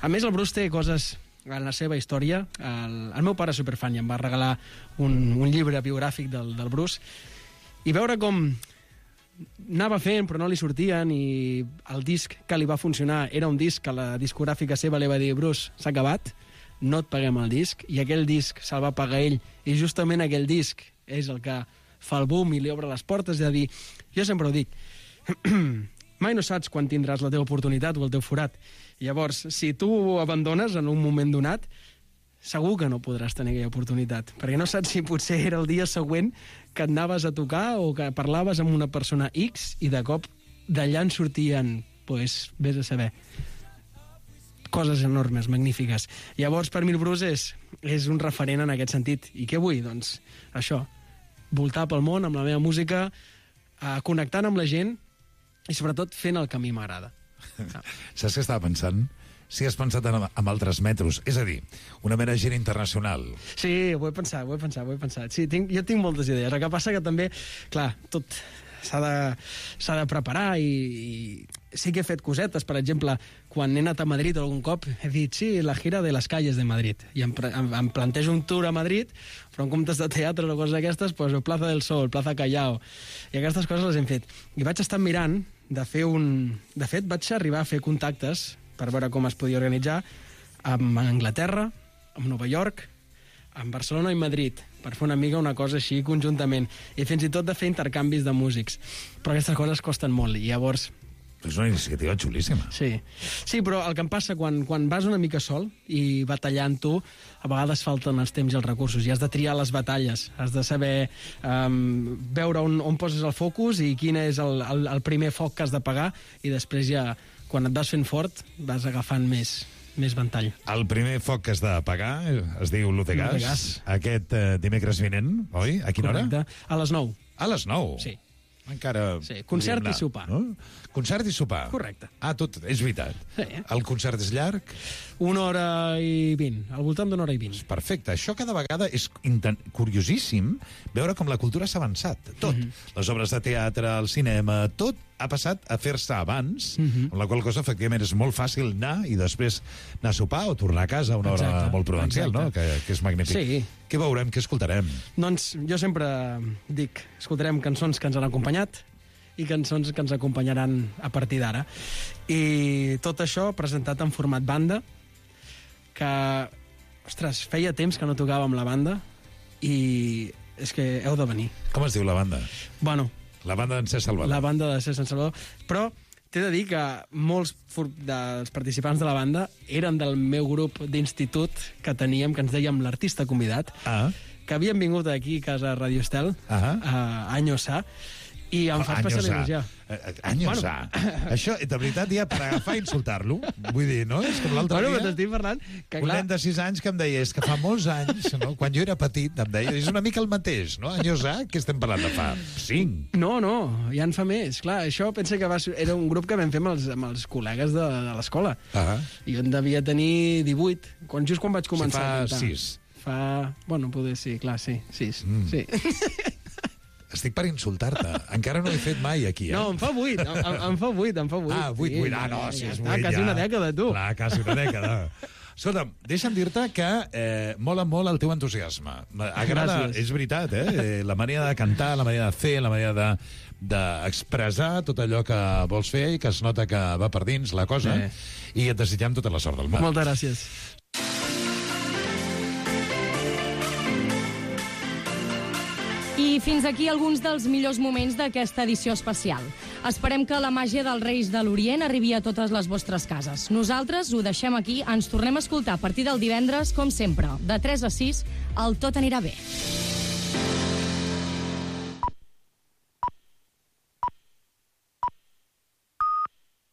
A més, el Bruce té coses en la seva història. El, el meu pare és superfan i em va regalar un, un llibre biogràfic del, del Bruce, i veure com anava fent però no li sortien, i el disc que li va funcionar era un disc que la discogràfica seva li va dir: Bruce, s'ha acabat, no et paguem el disc, i aquell disc se'l va pagar ell, i justament aquell disc és el que fa el boom i li obre les portes. És a dir, jo sempre ho dic, mai no saps quan tindràs la teva oportunitat o el teu forat. Llavors, si tu ho abandones en un moment donat, segur que no podràs tenir aquella oportunitat, perquè no saps si potser era el dia següent que et anaves a tocar o que parlaves amb una persona X i de cop d'allà en sortien, pues, vés a saber, coses enormes, magnífiques. Llavors, per mi el Bruce és, és un referent en aquest sentit. I què vull? Doncs això, voltar pel món amb la meva música, eh, connectant amb la gent i sobretot fent el que a mi m'agrada. Saps què estava pensant? Si has pensat en, en altres metros, és a dir, una mera gira internacional. Sí, ho he pensat, ho he pensat, ho he pensat. Sí, tinc, jo tinc moltes idees. El que passa que també, clar, tot s'ha de, s'ha de preparar i, i sí que he fet cosetes. Per exemple, quan he anat a Madrid algun cop, he dit, sí, la gira de les calles de Madrid. I em, em, em plantejo un tour a Madrid, però en comptes de teatre o coses d'aquestes, pues, Plaza del Sol, Plaza Callao, i aquestes coses les hem fet. I vaig estar mirant de fer un... De fet, vaig arribar a fer contactes per veure com es podia organitzar amb Anglaterra, amb Nova York, amb Barcelona i Madrid, per fer una mica una cosa així conjuntament, i fins i tot de fer intercanvis de músics. Però aquestes coses costen molt, i llavors... És una iniciativa xulíssima. Sí, sí, però el que em passa quan, quan vas una mica sol i batallant tu, a vegades falten els temps i els recursos, i has de triar les batalles, has de saber um, veure on, on poses el focus i quin és el, el, el primer foc que has de pagar, i després ja... quan et vas fent fort, vas agafant més, més ventall. El primer foc que has de pagar es diu l'U de Gas. Gas. Aquest eh, dimecres vinent, oi? A quina Correcte. hora? A les nou. A les nou? Sí. Encara... Sí, concert i sopar. No? Concert i sopar. Correcte. Ah, tot, és veritat. Sí. El concert és llarg? Una hora i vint, al voltant d'una hora i vint. Perfecte. Això cada vegada és inten... curiosíssim veure com la cultura s'ha avançat. Tot. Mm-hmm. Les obres de teatre, el cinema, tot ha passat a fer-se abans, mm-hmm. amb la qual cosa, efectivament, és molt fàcil anar i després anar a sopar o tornar a casa a una hora exacte, molt prudencial, exacte. No? Que, que és magnífic. Sí. Què veurem, què escoltarem? Doncs jo sempre dic, escoltarem cançons que ens han acompanyat i cançons que ens acompanyaran a partir d'ara. I tot això presentat en format banda, que, ostres, feia temps que no tocava amb la banda i és que heu de venir. Com es diu la banda? Bueno... La banda d'en Cesc Salvador. La banda de Cesc Salvador. Però t'he de dir que molts dels participants de la banda eren del meu grup d'institut que teníem, que ens dèiem l'artista convidat, ah. que havien vingut aquí a casa Radio Estel, ah. a Anyosà, i em fa especial il·lusió. Anyosà. Bueno. Això, de veritat, ja per agafar i insultar-lo, vull dir, no? És com l'altre bueno, dia... T'estic parlant que, un clar... nen de sis anys que em deia, és que fa molts anys, no? Quan jo era petit, em deia, és una mica el mateix, no? Anyosà, què estem parlant de fa? Cinc? No, no, ja en fa més. Clar, això pensa que va, era un grup que vam fer amb els, amb els col·legues de, de l'escola. Ah. I jo en devia tenir divuit, quan, just quan vaig començar si fa a cantar. sis. Fa... Bueno, poder sí, clar, sí, sis. Mm. Sí. estic per insultar-te. Encara no ho he fet mai aquí, eh? No, em fa vuit, em, em fa vuit, em fa vuit. Ah, vuit, vuit, ah, no, si és vuit, Quasi ja. una dècada, tu. Clar, quasi una dècada. Escolta'm, deixa'm dir-te que eh, mola molt el teu entusiasme. Agrada, Gràcies. és veritat, eh? La manera de cantar, la manera de fer, la manera de d'expressar tot allò que vols fer i que es nota que va per dins la cosa, Eh. i et desitgem tota la sort del món. Moltes gràcies. I fins aquí alguns dels millors moments d'aquesta edició especial. Esperem que la màgia dels Reis de l'Orient arribi a totes les vostres cases. Nosaltres ho deixem aquí, ens tornem a escoltar a partir del divendres, com sempre, de tres a sis, el Tot anirà bé.